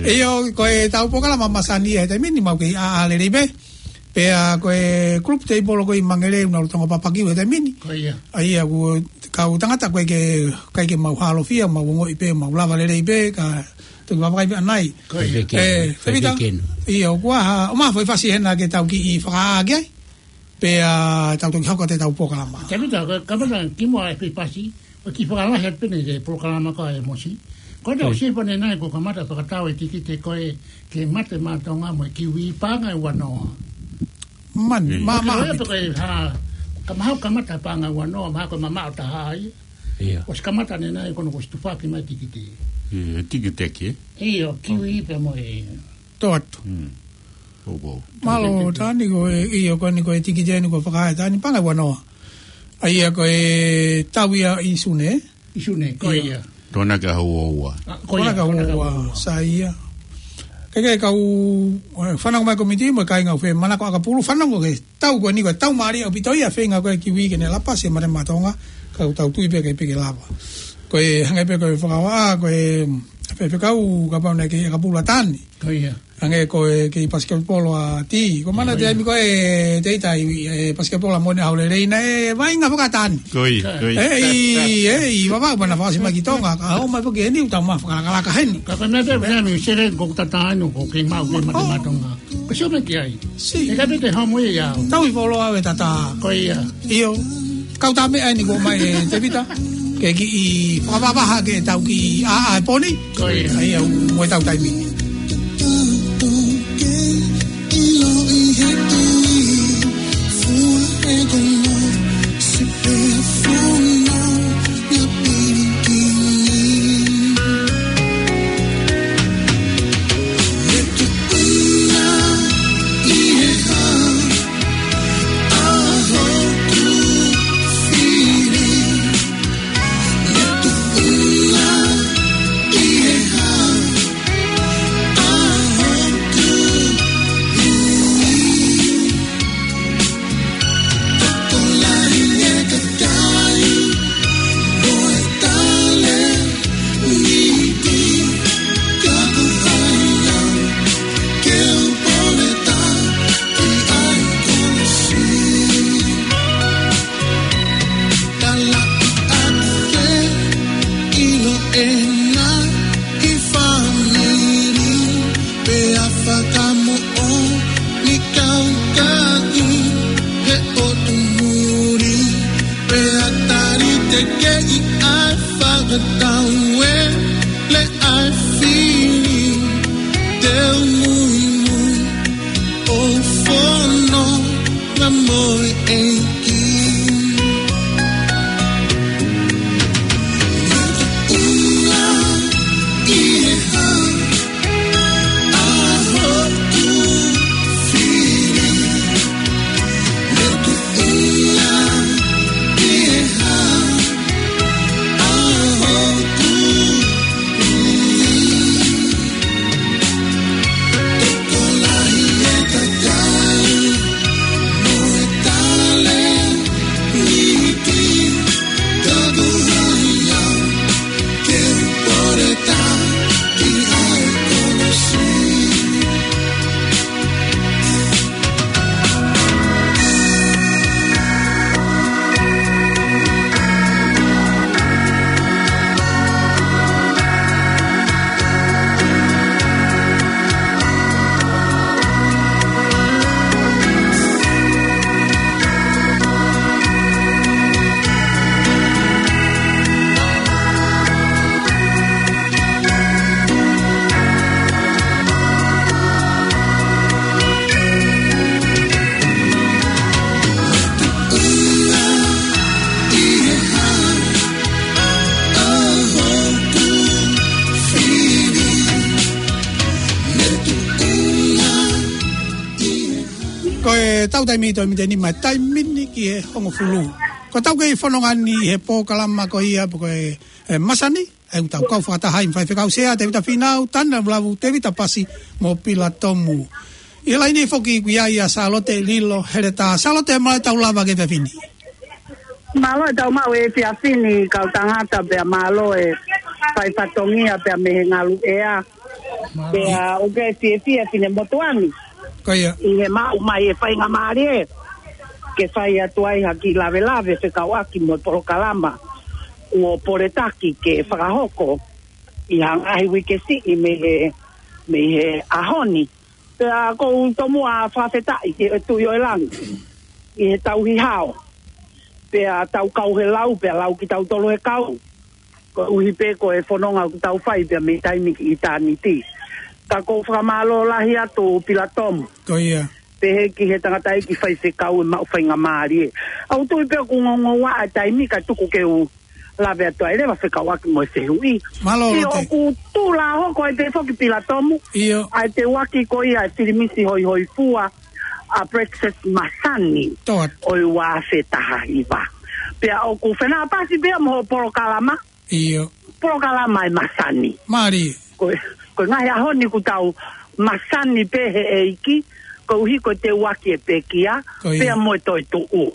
ʻIo, ko ʻetau polokalama masani he taimi ni mau kei ʻaʻā lelei pē. Pea ko e group table ko ē ʻi Mangere ʻoku nau lolotonga papaki he taimi ni. Ko ia. ʻA ia ko e kau tangata ko ē ʻoku ʻikai ke mau hālofia, mau ongoʻi pē, mau lava lelei pē, ka toki vakai pē ʻanai. Ko ia. Tēvita. Tēvita. ʻIo, kuo ʻomai ha foʻi fasi hena ke tau kiʻi fakaʻā ki ai. Pea tau toki hoko atu ʻetau polokalama. Tēvita, ka, kamata kimuʻa e foʻi fasi, ʻo kiʻi fakalahi atu pē ʻeni ki he polokalama ko ē ʻa ʻEmosi. Ko e tau, ʻio, sio pē ʻanenai kuo kamata fakatau e tikite ko ē ke mate maʻa Tonga mo e Kiwi paʻanga ʻe ua noa. Man, ʻio, ma, ma, ko e hā, ka mahalo kamata paʻanga ʻe ua noa, mahalo ko e mamaʻo taha ia. ʻIo. ʻOsi kamata ʻanenai ko hono ʻosi tufaki mai e tikite. ʻIo, tikite ki hē? ʻIo, Kiwi pea mo e. Tō atu. Mm. Mālō, Tani, ko e, ʻio, ko eni ko e tikite ʻeni kuo fakahā ʻe Tani, paʻanga ʻe ua noa. ʻA ia ko e tau ia ʻi Sune. ʻI Sune, ko ia. Tona ka hua ua. Ā, ko ia, tona ka hua ua. Sa ia. Ke ke kau, ē, fanongo mai komiti mo e kāinga ʻoku fie manako ʻakapulu, fanongo ke tau ko eni ko e tau mālie ʻaupito ia feinga ko e kiwi ke ne lapa se mare matonga, kau tau tui pē ke peke lava. Ko e hangē pē ko e fakavā, ko e faifekau kapau naʻe kei ʻakapulu ʻa Tani. Ko ia. Hangē ko e kei pasiketipolo ʻa Ti. Ko mana te ai mi ko e te ita i, e, pasiketipolo ʻa Mone ʻAho Lelei naʻe vaʻinga fakatāni. Ko ia, ko ia. ʻEi, ʻei, vavau pana fasi mai ki Tonga. Ka hau mai foki eni ʻoku tau ma fakalakalaka heni. Ka ko e meʻa pē, meʻa mi sere ko tatanu ko kei mau ke mate matonga. Ko sio mai ki ai. Si. ʻE ka pete homo ia. Tau i folo ave tata. Ko ia. ʻIo. Kau tā meʻa eni ko mai e Tevita. Ke kiʻi fakavavaha ke tau kiʻi ʻā ʻā e poni. Ko ia. ʻA ia ʻoku mo e tau taimi. Pea fakamoʻoni kau kaʻi he ʻotu muri. Pea tali te keʻi ʻa e fakatau e le ʻa e fili. Te u muimui ʻo fononga mo e ʻEiki. Ko e tau taimi toe mite nima taimi ni ki he hongofulu. Ko e tau kei fononga ni he polokalama ko ia pe ko e, e masani. ʻA ia ʻoku tau kau fakataha ʻi he faifekau sea, Tevita Fīnau, Tana Lavu, Tevita Pasi, mo Pila Tomu. ʻI he laine foki ʻoku ʻi ai ʻa Sālote Lilo Heletā. Sālote, mālō e tau lava ki he efiafi ni. Mālō e tau maʻu e efiafi ni kau tangata pea mālō e fai fatongia pea mei he ngalu ʻea. Mālō. Pea ʻoku ou fiefia finemotuʻa ni. Ko ia. ʻI he maʻu mai e faingamālie ke fai atu ai ha kiʻi lavelave fekauʻaki mo e polokalama kuo poletaki ke fakahoko ʻi ha ngaahi uike siʻi mei he, mei he ʻaho ni. Pea ʻoku ou tomuʻa fakafetaʻi ki he Tuʻi ʻo e langi ʻi he tauhi hao. Pea tau kau he lau, pea lau kitautolu he kau. Koeʻuhi pē ko e fononga ʻoku tau fai pea mei taimi ki ʻitāniti. Ka ʻoku ou fakamālō lahi atu Pila Tomu. Ko ia. Pehē ki he tangataʻeiki faifekau e maʻu faingamālie. ʻOku ou tui pē ʻoku ngoungoua e taimi ka tuku ke u lave atu ai leva fekauʻaki mo e fehuʻi. Mālō, Lote. ʻOku tula hoko ai pē foki Pila Tomu. ʻIo. ʻA e teuaki ko ia e filimisi hoihoifua ʻa Praxis Masani. Toa. ʻO e ua afe taha hiva. Pea ʻoku fenāpasi pea mo hoʻo polokalama. ʻIo. Polokalama ʻe masani. Mālie. Ko e, ko e ngaahi ʻaho ni ʻoku tau masani pē he ʻEiki, koeʻuhi ko e teuaki e pekia, Ko ia. pea mo e toetuʻu.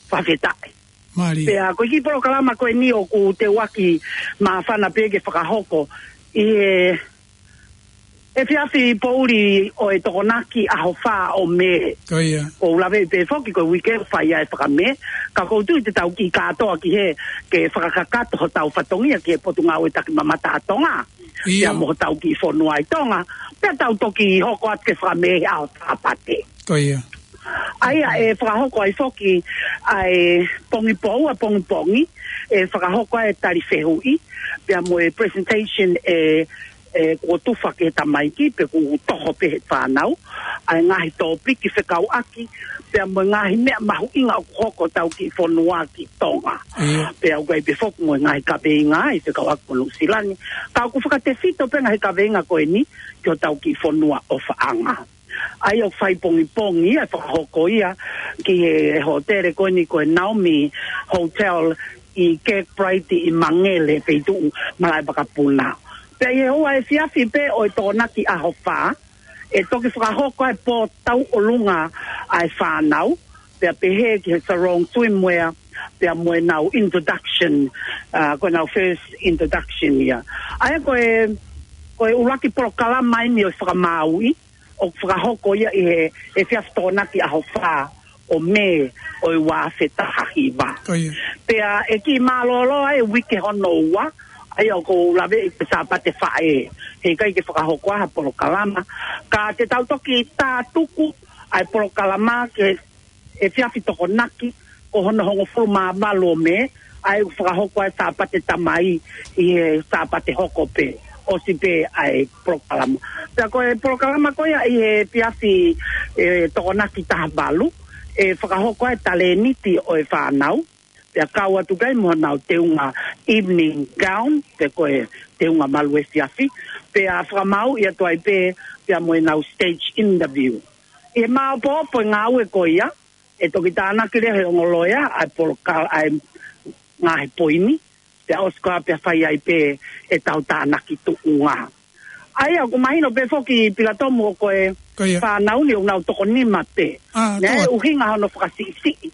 Fakafetaʻi. Mālie. Pea ko e kiʻi polokalama ko eni ʻoku teuaki māfana pē ke fakahoko ʻi he efiafi poʻuli ʻo e Tokonaki ʻaho fā ʻo Mē. Ko ia. ʻOku ou laveʻi pē foki ko e uike ʻoku fai ai e fakamē, ka ʻoku ou tui te tau kiʻi kātoa ki hē ke fakakakato hotau fatongia ki he Potungāue Takimamata ʻa Tonga. ʻIo. Pea mo hotau kiʻi fonua ʻi Tonga, pea tau toki hoko atu ke fakamē he ʻaho Sāpate. Ko ia. ʻA ia ʻe fakahoko ai foki ʻa e pongipongi, ʻa pongipongi, ʻe fakahoko ai e tali fehuʻi, pea mo e presentation ʻe, ʻe kuo tufa ki he tamaiki, pe kuo toho pē he fānau, ʻa e ngaahi tōpiki fekauʻaki, pea mo e ngaahi meʻa mahuʻinga ʻoku hoko hotau kiʻi fonua ki Tonga. ʻIo. Pea ʻoku ʻi ai pē foki mo e ngaahi kaveinga ʻi he fekauʻaki mo Nuʻusila ni, ka ʻoku fakatefito pē ngaahi kaveinga ko eni ki hotau kiʻi fonua ʻofaʻanga. ʻA ia ʻoku fai pongipongi ia, fakahoko ia ki he hōtele ko eni ko e Naomi Hotel ʻi Kirkbride ʻi Mangere, feituʻu Malaʻe Vakapuna. Pea ʻi he ʻaho efiafi pē ʻo e Tokonaki ʻaho fā, ʻe toki fakahoko ai e pō tauʻolunga ʻa e fānau, pea pehē ki he sarong swimwear, pea mo ʻenau introduction, ʻa, ko ʻenau first introduction ia. ʻA ia ko e, ko e ʻuluaki polokalama eni ʻo e fakamāuʻi, ʻoku fakahoko ia ʻi he, he efiafi Tokonaki ʻaho fā ʻo Mē ʻo e ua afe taha hiva. Ko ia. Pea ʻe kiʻi mālōlō ai e uike hono ua, ʻa ia ʻoku ou laveʻi ko e Sāpate Faʻē, heʻikai ke fakahoko ai ha polokalama. Ka te tau toki tātuku ʻa e polokalama ki he efiafi Tokonaki, ko hono hongofulu mā valu ʻo Mē, ʻa ia ʻoku fakahoko ai e Sāpate Tamai ʻi he Sāpate hoko pē, ʻosi pē ʻa e polokalama. Pea ko e polokalama ko ia ʻi he efiafi, ʻe, Tokonaki taha valu, ʻe fakahoko ai e talēniti ʻo e fānau, pea kau atu ki ai mo ʻenau teunga evening gown, pe ko e teunga malu efiafi, pea fakamāuʻi atu ai pē, pea mo ʻenau stage interview. ʻI he māopoopo e ngāue ko ia, ʻe toki tānaki leva he ongo loea ʻa e poloka-, ʻa e ngaahi poini, pea ʻosi ko ia pea fai ai pē ʻetau tānaki tuʻunga. ʻA ia, ʻoku mahino pē foki Pilatomu ʻoku ʻi ai e Ko ia. fānau ni ʻoku nau toko nima pē. ʻA, Naʻe toko ʻuhinga hono fakasiʻisiʻi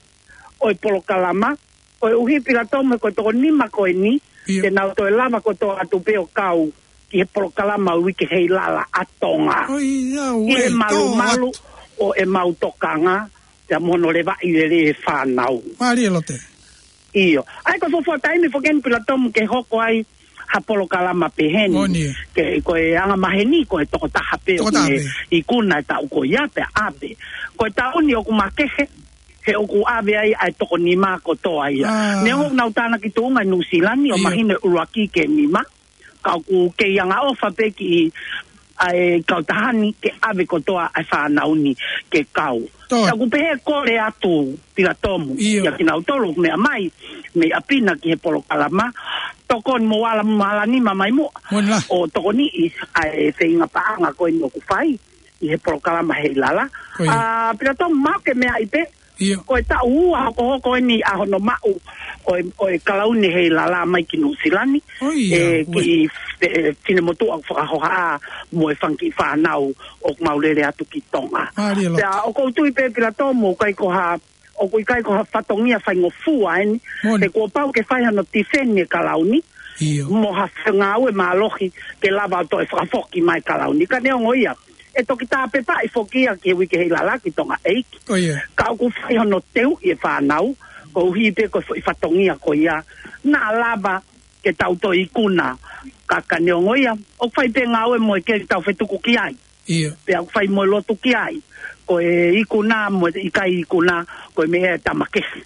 ʻo e polokalama, koeʻuhi Pilatomu ko e toko nima ko eni, ʻIo. te nau toe lava kotoa atu pē ʻo kau ki he polokalama ʻo e Uike Heilala ʻa Tonga. ʻOi, ia, ʻi he ue, malumalu tau atu. ʻo ʻemau tokanga, pea mo hono levaʻi lelei e fānau. Mālie Lote. ʻIo. ʻA ia ko e fuofua taimi foki eni Pilatomu ke hoko ai ha polokalama pehē ni. Moʻoni. Ke, ko e angamaheni, ko e tokotaha pē Tokotaha ʻoku ne pē. ikuna e taʻu ko ia pea ʻave. Ko e taʻu ni ʻoku makehe, he ʻoku ʻave ai ʻa e toko nima kotoa ia. ʻA. Neongo ʻoku nau tānaki tuʻunga ʻi Nuʻusila ni, ʻo ʻIo. mahino e ʻuluaki ki he nima, ka ʻoku kei angaʻofa pē kiʻi ʻa e kautaha ni ke ʻave kotoa ʻa e fānau ni ke kau. Toe. Ka ʻoku pehē kole atu Pilatomu ʻIo. ʻia kinautolu ʻoku meʻa mai mei ʻapi na ki he polokalama, tokoni mo ala mo ala nima mai muʻa Moʻoni lā. ʻo tokoniʻi ʻa e feinga paʻanga ko eni ʻoku fai ʻi he polokalama Heilala. Ko ia. ʻA, Pilatomu, maʻu ke meaʻi pē, ʻIo. ko e taʻu ua hokohoko eni ʻa hono maʻu ʻo e, ʻo e kalauni Heilala mai ki Nuʻusila ni. ʻOi, ʻe, ʻoe. ki, ʻe, finemotuʻa ʻoku fakahohaʻa mo e fanga kiʻi fānau ʻoku mau lele atu ki Tonga. Mālie Lote. Pea ʻoku ou tui pē Pilatomu, ʻoku ʻikai ko ha, ʻoku ʻikai ko ha fatongia faingofua eni. Moʻoni. He kuo pau ke fai hano tifeni e kalauni. ʻIo. Mo ha fengāue mālohi ke lava ʻo toe fakafoki mai e kalauni. Ka neongo ia, ʻe toki tāpepaʻi foki ia ki he Uike Heilala ki Tonga ʻEiki. Ko ia. Ka ʻoku fai hono teuʻi e fānau, koeʻuhi pē ko e foʻi fatongia ko ia naʻa lava ke tau toe ikuna. Ka, ka neongo ia, ʻoku fai pē ngāue mo e keli tau fetuku ki ai. ʻIo. Pea ʻoku fai mo e lotu ki ai. Ko e ikuna mo e ʻikai ikuna, ko e meʻa ʻa e tama kehe.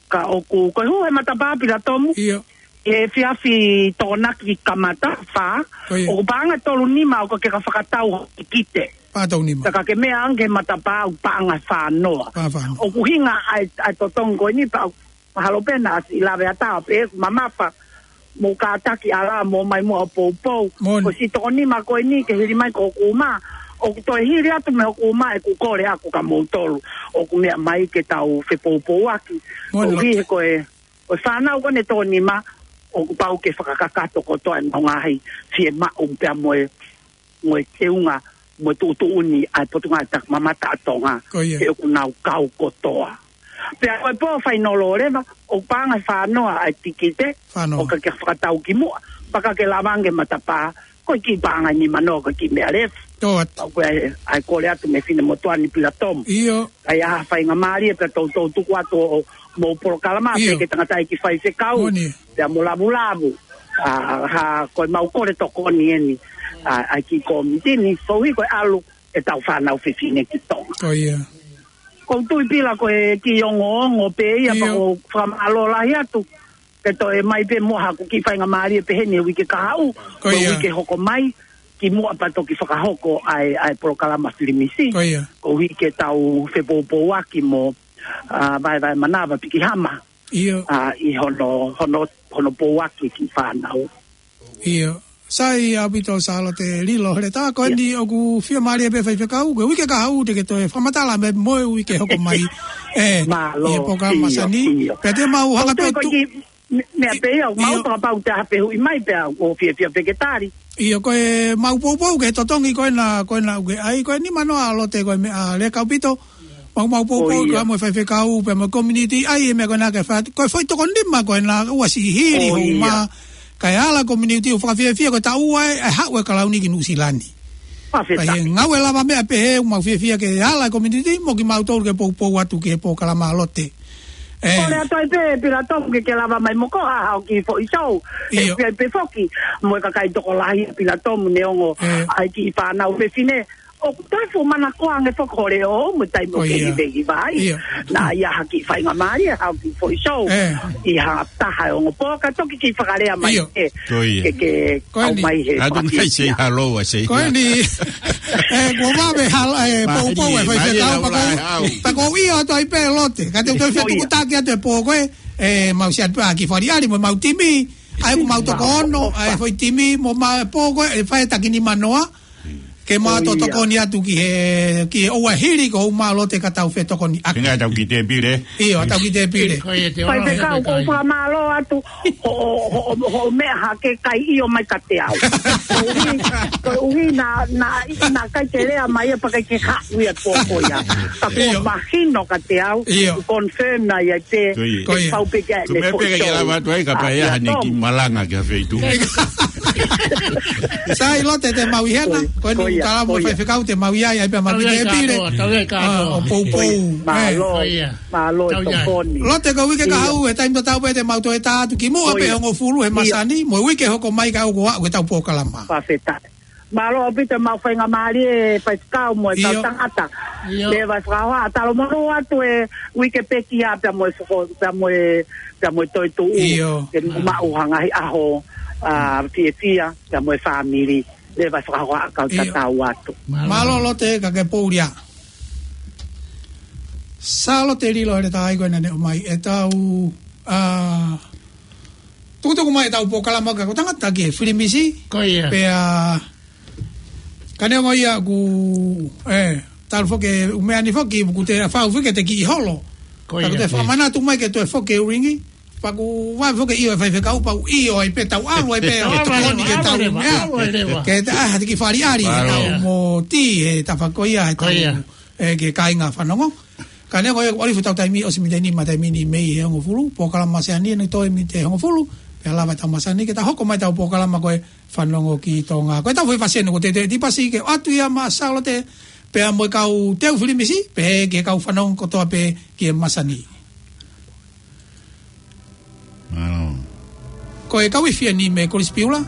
Ka ʻoku, ko e hū he matapā Pilatomu, ʻIo. he efiafi Tokonaki kamata, fā, Ko ia. ʻoku paʻanga tolu nima ʻoku ke ka fakatau ho tikite. Paʻanga tolu nima. Ka ke meʻa ange he matapā ʻoku paʻanga fā noa. Paʻanga fā noa. ʻOku ʻuhinga ʻa e, ʻa e totongi ko eni pea ʻoku mahalo pē naʻa siʻi lave atu pē ʻoku mamafa, mou kātaki ʻalu ā mou ō mai muʻa ʻo poupou. Moʻoni. Ko siʻi toko nima ko eni ke hili mai ko hoku uma, ʻoku toe hili atu mei hoku uma ʻeku kole ʻaʻaku kia moutolu ʻoku meʻa mai ke tau fepoupouaki. Moʻoni Lote. ʻOku ʻi he ko e Ko e fānau ko eni ʻe toko nima, ʻoku pau ke fakakakato kotoa ʻenau ngaahi fiemaʻu pea mo e, mo e teunga, mo e tuʻutuʻuni ʻa e Potungāue Mamata ʻa Tonga, Ko ia. he ʻoku nau kau kotoa. Pea ko e pō fainolo leva, ʻoku paʻanga ʻe fānoa ʻa e tikite, Fānoa. ʻo ka ke fakatau ki muʻa, pea ka ke lava ange matapā, ko e kiʻi paʻanga ʻe nimanoa, ko e kiʻi meʻa leva. Tō atu. Pea ko e, ʻai kole atu mei he finemotuʻa ni Pilatomu. ʻIo. ʻAi ha faingamālie pea toutou tuku atu ʻo mou polokalama, ʻIo. pea ke tangata ʻi ki faifekau. Moʻoni. Pea mo lavulavu. ʻA, ha, ko e mau kole tokoni eni. ʻA, ʻai ki komiti ni, koeʻuhi ko e ʻalu ʻetau fānau fefine ki Tonga. Ko ia. Ko u tui Pila ko e kiʻi ongoongo pē ia, ʻIo. pea ko u fakamālō lahi atu. Ke toe mai pē mo haku kiʻi faingamālie pehē ni he uike kahaʻu, Ko mo e ia. uike hoko mai, ki muʻa pea toki fakahoko ʻa e, ʻa e polokalama filimisi. Ko ia. Koeʻuhi ke tau fepoupouaki mo, ʻa, vaevae manava piki hama, ʻIo. ʻa, ʻi hono, hono, hono pouaki ki fānau. ʻIo. Sai ʻaupito Sālote Lilo Heletā, ko eni ʻoku fiemālie pē faifekau, ko e uike kahaʻu te ke toe fakamatala mai mo e uike hoko mai. ʻE, Mālō, ʻi he polokalama ʻio, masani. ʻio. Pea te mau hanga Ko pē tu- ki, me, meʻa pē ia, mau ʻIo. fakapau te aha pē huʻi mai pea, ʻoku fiefia pē ke tali. ʻIo, ko e mau poupou ke totongi ko ena, ko ena uike. ʻAi, ko e nimanoa Lote ko e meʻa leka ʻaupito. Mau, mau poupou Ko ia. ka mo e faifekau, pea mo e community, ʻai e meʻa ko ena ke fai, ko e foʻi toko nima ko ena ua sihili Ko ia. houma, ka e ala community ʻo fakafiefia ko e taʻu ua ʻe, ʻe haʻu e kalauni ki Nuʻusila ni. Fakafetaʻi. Ka he ngāue lava meʻa pehē, mau fiefia ke ala community, mo kimautolu ke poupou atu ki he polokalama Lote. ʻE. Kole atu ai pē, Pilatomu ke ke lava mai mo ko ha, ha kiʻi foʻi show. ʻIo. ʻE pia pē foki, mo e kakai tokolahi Pilatomu neongo, ʻE. ʻai kiʻi fānau fefine, ʻoku tafu manakoa ange foki ʻo le ʻo mo e taimi ʻo Ko ia. kehivehiva ai. ʻIo. Naʻa ʻi ai ha kiʻi faingamālie, ha kiʻi foʻi show. ʻE. ʻI ha taha ʻe ongo pō, ka toki kiʻi fakalea mai ʻIo. ʻe. Ko ia. Ke, ke Ko eni. kau mai he Atu mai say fakafetaʻi. hello, I say Ko eni. ʻE, kuo vave hala, ʻe, Mā poupou ʻe ni, faifekau mā ni pea ko, lau lau. pea ko ia atu ai pē Lote. Ka te u toe Ko ia. fetuku taki atu e pō ko ē, ʻe, mau si atu pē ʻa ki fari ali mo mau timi. ʻAi ko mau toko ono, ʻa e foʻi timi mo ma pō ko ē, ʻe fai taki nimanoa. Ke mau Ko ia. tokoni atu ki he, ki he ʻoua hili ko u mālō te ka tau fetokoni ake. Hina tau ki te pile. ʻIo, tau ki te pile. Ko ia te ora Faifekau, he ko u kai. fakamālō atu, ho, ho, ho, ho meʻa hake kai ʻio mai ka te au. Koeʻuhi, koeʻuhi na, na, na kai ke lea mai ia pea kai ke haʻu ia pō ko ia. Ka ko ʻIo. mahino ka te au, ʻIo. confirm na ia te, Ko ia. Ko ia. pau pē ke Ko ʻene meʻa pē foʻi ke show. lava atu ai ka ʻA, pae ia ʻa ne Tom. ki malanga ki ha feitu. Sai Lote te mau ʻi hena, Ko ia. ko eni Ko ia. tala mo Ko ia. faifekau te mau ʻi ai, ʻai pē mau Tau ki ʻi ai te pile. kātoa, tau ʻi ai Ā, kātoa. ʻo poupou. Ko ia. ʻE. Mālō. Ko ia. Mālō e Tau ia. tokoni. Lote ko e uike ʻIo. kahaʻu, he taimi tatau pē te mau toe tā atu ki muʻa Ko pē ia. hongofulu he ʻIo. masani, mo e uike hoko mai ka ʻoku aʻu ke tau polokalama. Fakafetaʻi. Mālō ʻaupito mau faingamālie faifekau mo e ʻIo. kau tangata. ʻIo. Leva e fakahoa, ʻa talo manu atu e uike pekia pea mo e foko, pea mo e, pea mo e toetuʻu. ʻIo. Ke mau maʻu ha ngaahi ʻaho, ʻa, fiefia, pea mo e fāmili. Leva e fakahoa ʻa kau ʻIo. tatau atu. Mālō. Mālō Lote ka ke poulia. Sālote Lilo Heletā ko ena ne ʻomai ʻetau, ʻa, tukutuku mai ʻetau polokalama ka ko tangata ki he filimisi. Ko ia. Pea, ka neongo ia ku, ʻe, talu foki, ʻū meʻa ni foki, ku te fau foki te kiʻi holo. Ko Ka ku ia. te fakamanatu mai ke toe foki e uringi. Pea ku vave foki ʻio e faifekau pau ʻio ai pē tau ʻalu ai pē ʻo Ava tokoni leva, ke ava tau leva, meʻa. ava leva. Ke ta, ʻa, ha te kiʻi fali ali, he Mālō. tau mo ti, he tafa ko ia, he Ko tau, ia. ʻe, ke kāinga fanongo. Ka neongo ia, ʻoku ʻalifu tau taimi, ʻosi miniti ʻe nima taimi ni mei he hongofulu, polokalama masani ʻe toe miniti ʻe hongofulu, pea lava tau masani ke ta hoko mai tau polokalama ko e Fanongo ki Tonga. Ko e tau foʻi fasi ʻeni ko te te tipasi ke ʻoatu ia maʻa Sālote, pea mo e kau teu filimisi, pea ki he kau fanongo kotoa pē ki he masani. Mālō. Ko e kau ifi ʻeni mei Kolisi Piula,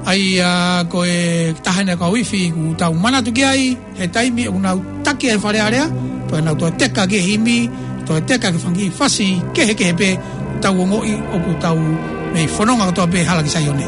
ʻa ia ko e taha ʻeni kau ifi ʻoku tau manatu ki ai, he taimi ʻoku nau taki ai Fale Alea, pea nau toe teka ki he himi, toe teka ki he fanga kiʻi fasi kehekehe pē, tau ongoʻi ʻoku tau mei fononga kotoa pē hala ki Saione.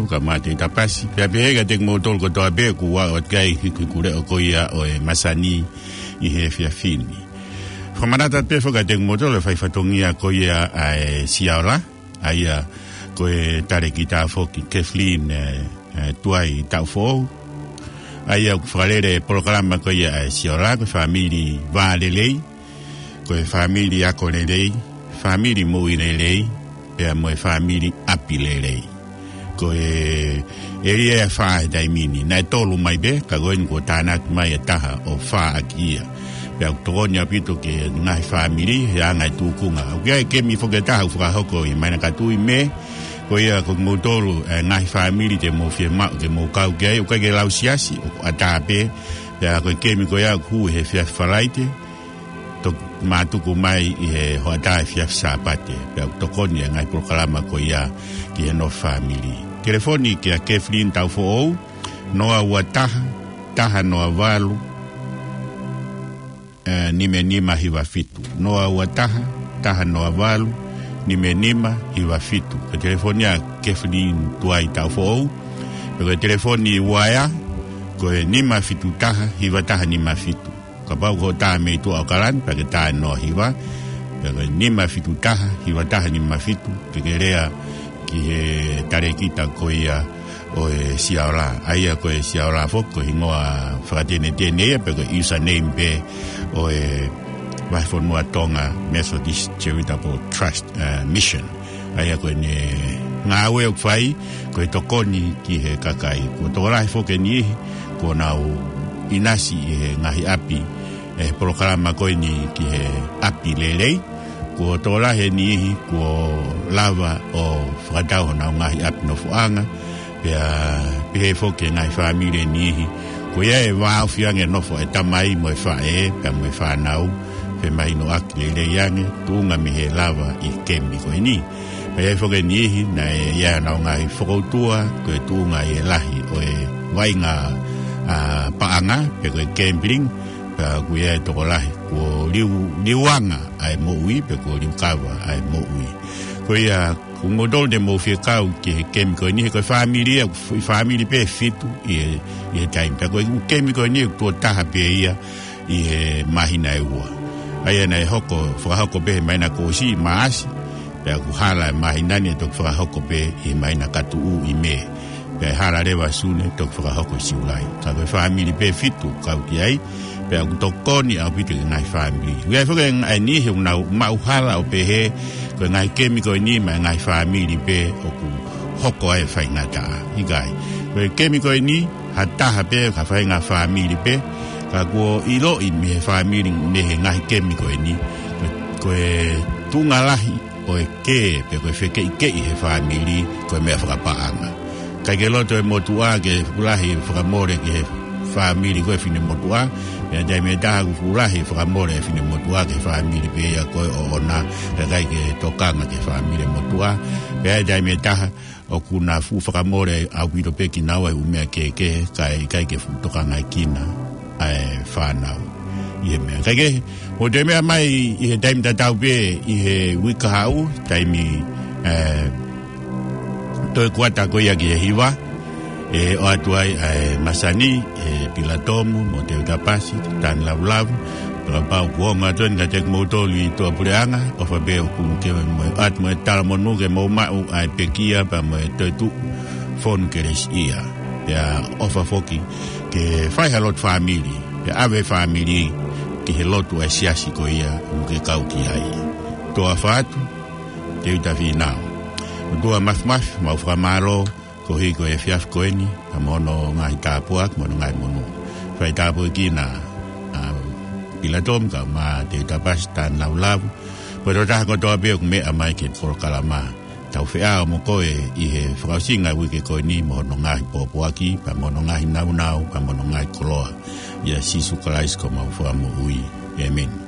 Ka mate i tapasi. Pea pehē kiate kimoutolu kotoa pē kuo ʻoatu ki ai ʻa e hiku leʻo ko ia ʻo e masani ʻi he efiafi ni. Fakamanatu pē foki kiate kimoutolu e fai fatongia ko ia ʻa e Siaola. ʻA ia ko e talēkita foki Kathleen, ē, ē, Tuai Taʻufoʻou. ʻA ia ʻoku fakalele e polokalama ko ia ʻa e Siaola, ko e fāmili vā lelei, ko e fāmili ako lelei, fāmili moʻui lelei, pea mo e fāmili ʻapi lelei. Ko e ʻēlia ʻe fā he taimi ni, naʻe tolu mai pē, ka ko eni kuo tānaki mai e taha ʻo fā ʻaki ia. Pea ʻoku tokoni ʻaupito ki he ngaahi fāmili, he anga e tūkunga. ʻOku ʻi ai e kemi foki ʻe taha ʻoku fakahoko ʻi he māhina ka tuʻu ʻi Mē, ko ia ko kimoutolu, ē, ngaahi fāmili te mou fiemaʻu ke mou kau ki ai, ʻoku ʻikai ke lau siasi, ʻoku ʻatā pē, pea ko e kemi ko ia ʻoku hū he efiafi Falaite, toki mātuku mai ʻi he hoʻatā efiafi Sāpate, pea ʻoku tokoni e ngaahi polokalama ko ia ki he nofo fāmili. Telefoni kia Kathleen Taʻufoʻou, noa ua taha, taha noa valu, ē, nima nima hiva fitu. Noa ua taha, taha noa valu, nima nima hiva fitu. Ko e telefoni ʻa Kathleen Tuai Taʻufoʻou. Pea ko e telefoni uaea, ko e nima fitu taha, hiva taha nima fitu. Kapau ko e tā mei tuʻa ʻAokalani, pea ke tā noa hiva. Pea ko e nima fitu taha, hiva taha nima fitu. Ke ke lea ki he talēkita ko ia ʻo e Siaola. ʻA ia ko e Siaola foki ko e hingoa fakatenetene ia, pea ko e username pē ʻo e Vahefonua Tonga Methodist Charitable Trust, ē, Mission. ʻA ia ko ʻene ngāue ʻoku fai, ko e tokoni ki he kakai. Kuo tokolahi foki e niʻihi kuo nau ʻinasi ʻi he ngaahi ʻapi, ʻi he polokalama ko eni ki he ʻapi lelei. Kuo tokolahi e niʻihi kuo lava ʻo fakatau honau ngaahi ʻapi nofoʻanga, pea pehē foki e ngaahi fāmili e niʻihi kuo ʻi ai e vāofi ange nofo e tamai mo e faʻē, pea mo e fānau, femahinoʻaki lelei ange, tuʻunga mei he lava ʻi he kemi ko eni. Pea ʻi ai foki e niʻihi naʻe ʻi ai honau ngaahi fokoutua, ko e tuʻunga ʻi he lahi ʻo e vaʻinga, ā, paʻanga, pe ko e gambling, pea ʻoku ʻi ai e tokolahi kuo liu, liuanga ʻa e moʻui, pe kuo liukava ʻa e moʻui. Ko ia, ko kimoutolu te mou fie kau ki he kemi ko eni, he ko e fāmili ia, ʻoku fāmili pē ʻe fitu ʻi he, ʻi he taimi. Pea ko e kemi ko eni ʻoku tuʻo taha pē ia ʻi he māhina ʻe ua. ʻA ia naʻe hoko, fakahoko pē he māhina kuo ʻosi, Maʻasi, pea ʻoku hala e māhina ni ʻe toki fakahoko pē ʻi he māhina ka tuʻu ʻi Mē. Pea ʻe hala leva Sune, toki fakahoko ʻi Siulai. Ka ko e fāmili pē ʻe fitu kau ki ai, pea ʻoku tokoni ʻaupito ki he ngaahi fāmili. ʻOku ʻi ai foki e ngaahi niʻihi ʻoku nau maʻu hala ʻo pehē, ko e ngaahi kemi ko eni maʻa e ngaahi fāmili pē ʻoku hoko ai e faingataʻa. ʻIkai. Ko e kemi ko eni, ha taha pē, ha faʻahinga fāmili pē, ka kuo ʻiloʻi mei he fāmili, mei he ngaahi kemi ko eni. Ko, ko e tuʻunga lahi ʻo e kē, pe ko e fekeʻikeʻi he fāmili, ko e meʻa fakapaʻanga. ʻIkai ke loto e motuʻa ke fuʻu lahi fakamole ki he fāmili ko e finemotuʻa, pea taimi ʻe taha ʻoku fuʻu lahi fakamole e finemotuʻa ki he fāmili pē ia ko ē ʻoʻona, kae ʻikai ke tokanga ki he fāmili motuʻa, pea taimi ʻe taha ʻoku na fuʻu fakamole ʻaupito pē kinaua he ʻū meʻa kehekehe, kae ʻikai ke fuʻu tokangaʻi kinaua e fānau ʻi he meʻa. Kae kehe, mou toe meʻa mai ʻi he taimi tatau pē ʻi he uike kahaʻu, taimi, ē, toe kuata ko ia ki he hiva, ʻe ʻoatu ai ʻa e masani, ʻe Pilatomu, mo Teuta Pasi, Tani Lavulavu, pea kapau kuo ongo atu eni kiate kimoutolu ʻi tuʻapuleʻanga, ʻofa pē ʻoku ke mo ʻoatu mo e talamonū ke mou maʻu ʻa e pekia pea mo e toetuʻu fonu kelesiʻia. Pea ʻofa foki ke fai ha lotu fāmili, pea ʻave fāmili ki he lotu ʻa e siasi ko ia ʻoku ke kau ki ai. Tō ʻofa atu, Teuta Fīnau. ʻOtua Māfimafi, mau fakamālō, koeʻuhi ko e efiafi ko eni, pea mo hono ngaahi tāpuaki, mo hono ngaahi monū. Fai tāpuekina ʻa Pilatomu, kae ʻumaʻā Teuta Pasi, Tani Lavulavu, mo e tokotaha kotoa pē ʻoku meʻa mai ki he polokalama. Tau feʻao mo koe ʻi he fakaʻosinga uike ko eni mo hono ngaahi pōpoaki, pea mo hono ngaahi nāunau, pea mo hono ngaahi koloa. ʻIa Sīsū Kalaisi ko homau Fakamoʻui. ʻĒmeni.